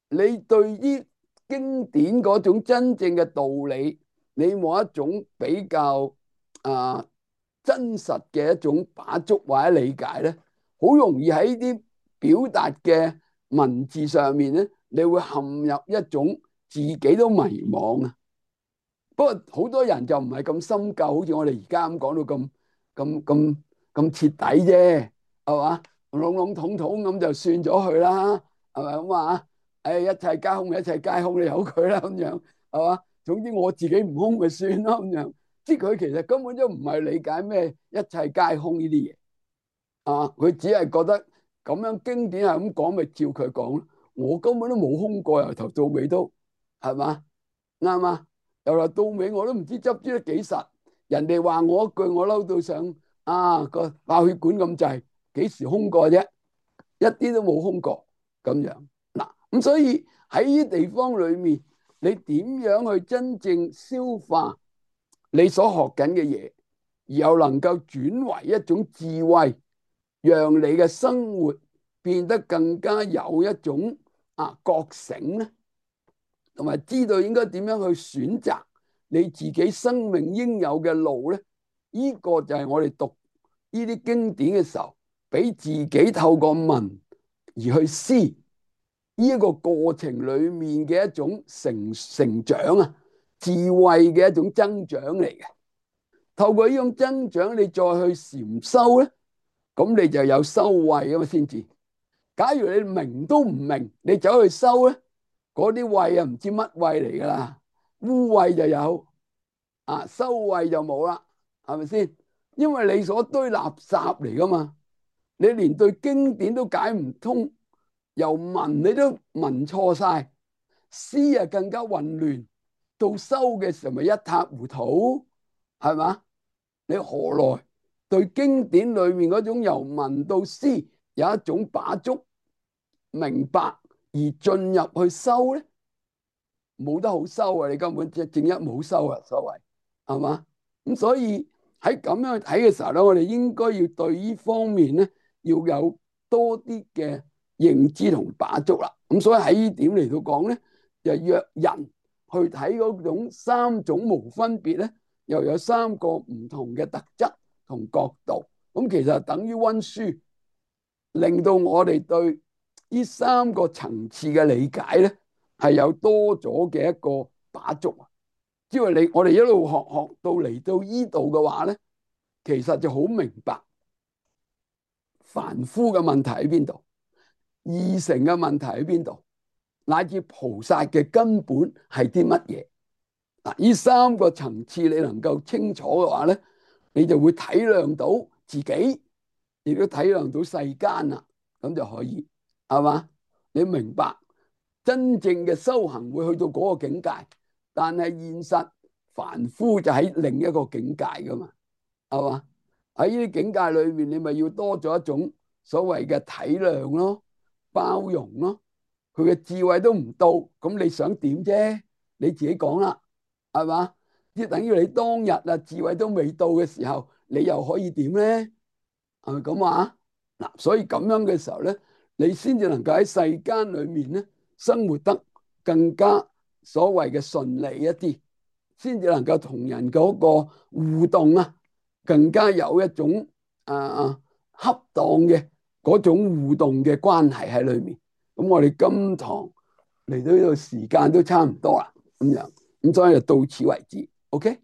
你對於經典嗰種真正嘅道理，你冇一種比較啊真實嘅一種把握或者理解咧，好容易喺啲表達嘅文字上面咧，你會陷入一種自己都迷惘啊。不過好多人就唔係咁深究，好似我哋而家咁講到咁徹底啫，係嘛？籠籠統統咁就算咗佢啦，係咪咁啊？誒，一切皆空，一切皆空，你由佢啦，咁樣係嘛？總之我自己唔空咪算咯，咁樣。即係佢其實根本都唔係理解咩一切皆空呢啲嘢啊，佢只係覺得咁樣經典係咁講，咪照佢講咯。我根本都冇空過，由頭到尾都係嘛？啱嘛？由頭到尾我都唔知執得幾實，人哋話我一句，我嬲到上個爆血管咁滯，幾時空過啫？一啲都冇空過咁樣嗱。咁所以喺呢啲地方裏面，你點樣去真正消化你所學緊嘅嘢，而又能夠轉為一種智慧，讓你嘅生活變得更加有一種覺醒咧？同埋知道應該點樣去選擇你自己生命應有嘅路咧？呢個就係我哋讀呢啲經典嘅時候，俾自己透過文而去思呢一個過程裏面嘅一種成長啊，智慧嘅一種增長嚟嘅。透過呢種增長，你再去禪修咧，咁你就有修慧啊嘛先至。假如你明都唔明，你走去修咧，嗰啲慧啊唔知乜慧嚟噶啦，污慧就有修慧就冇啦，係咪先？因為你所堆垃圾嚟噶嘛，你連對經典都解唔通，由文你都文錯晒，思啊更加混亂，到修嘅時候咪一塌糊塗，係嘛？你何來對經典裏面嗰種由文到思有一種把觸明白而進入去修咧？冇得好修啊！你根本正一冇修啊，所謂係嘛？咁所以喺咁樣去睇嘅時候咧，我哋應該要對呢方面咧要有多啲嘅認知同把觸啦。咁所以喺呢點嚟到講咧，就約人去睇嗰種三種無分別咧，又有三個唔同嘅特質同角度。咁其實等於溫書，令到我哋對呢三個層次嘅理解咧，係有多咗嘅一個把觸啊！因為我哋一路學到嚟到呢度嘅話咧，其實就好明白凡夫嘅問題喺邊度，二乘嘅問題喺邊度，乃至菩薩嘅根本係啲乜嘢嗱？呢三個層次你能夠清楚嘅話咧，你就會體諒到自己，亦都體諒到世間啦，咁就可以係嘛？你明白真正嘅修行會去到嗰個境界，但係現實凡夫就喺另一個境界噶嘛，係嘛？喺呢啲境界裏面，你咪要多咗一種所謂嘅體諒咯、包容咯。佢嘅智慧都唔到，咁你想點啫？你自己講啦，係嘛？即係等於你當日智慧都未到嘅時候，你又可以點咧？係咪咁話？嗱，所以咁樣嘅時候咧，你先至能夠喺世間裏面咧生活得更加所謂嘅順利一啲，先至能夠同人嗰個互動更加有一種恰當嘅嗰種互動嘅關係喺裏面。咁我哋今堂嚟到呢度時間都差唔多啦，咁樣，咁所以就到此為止。OK。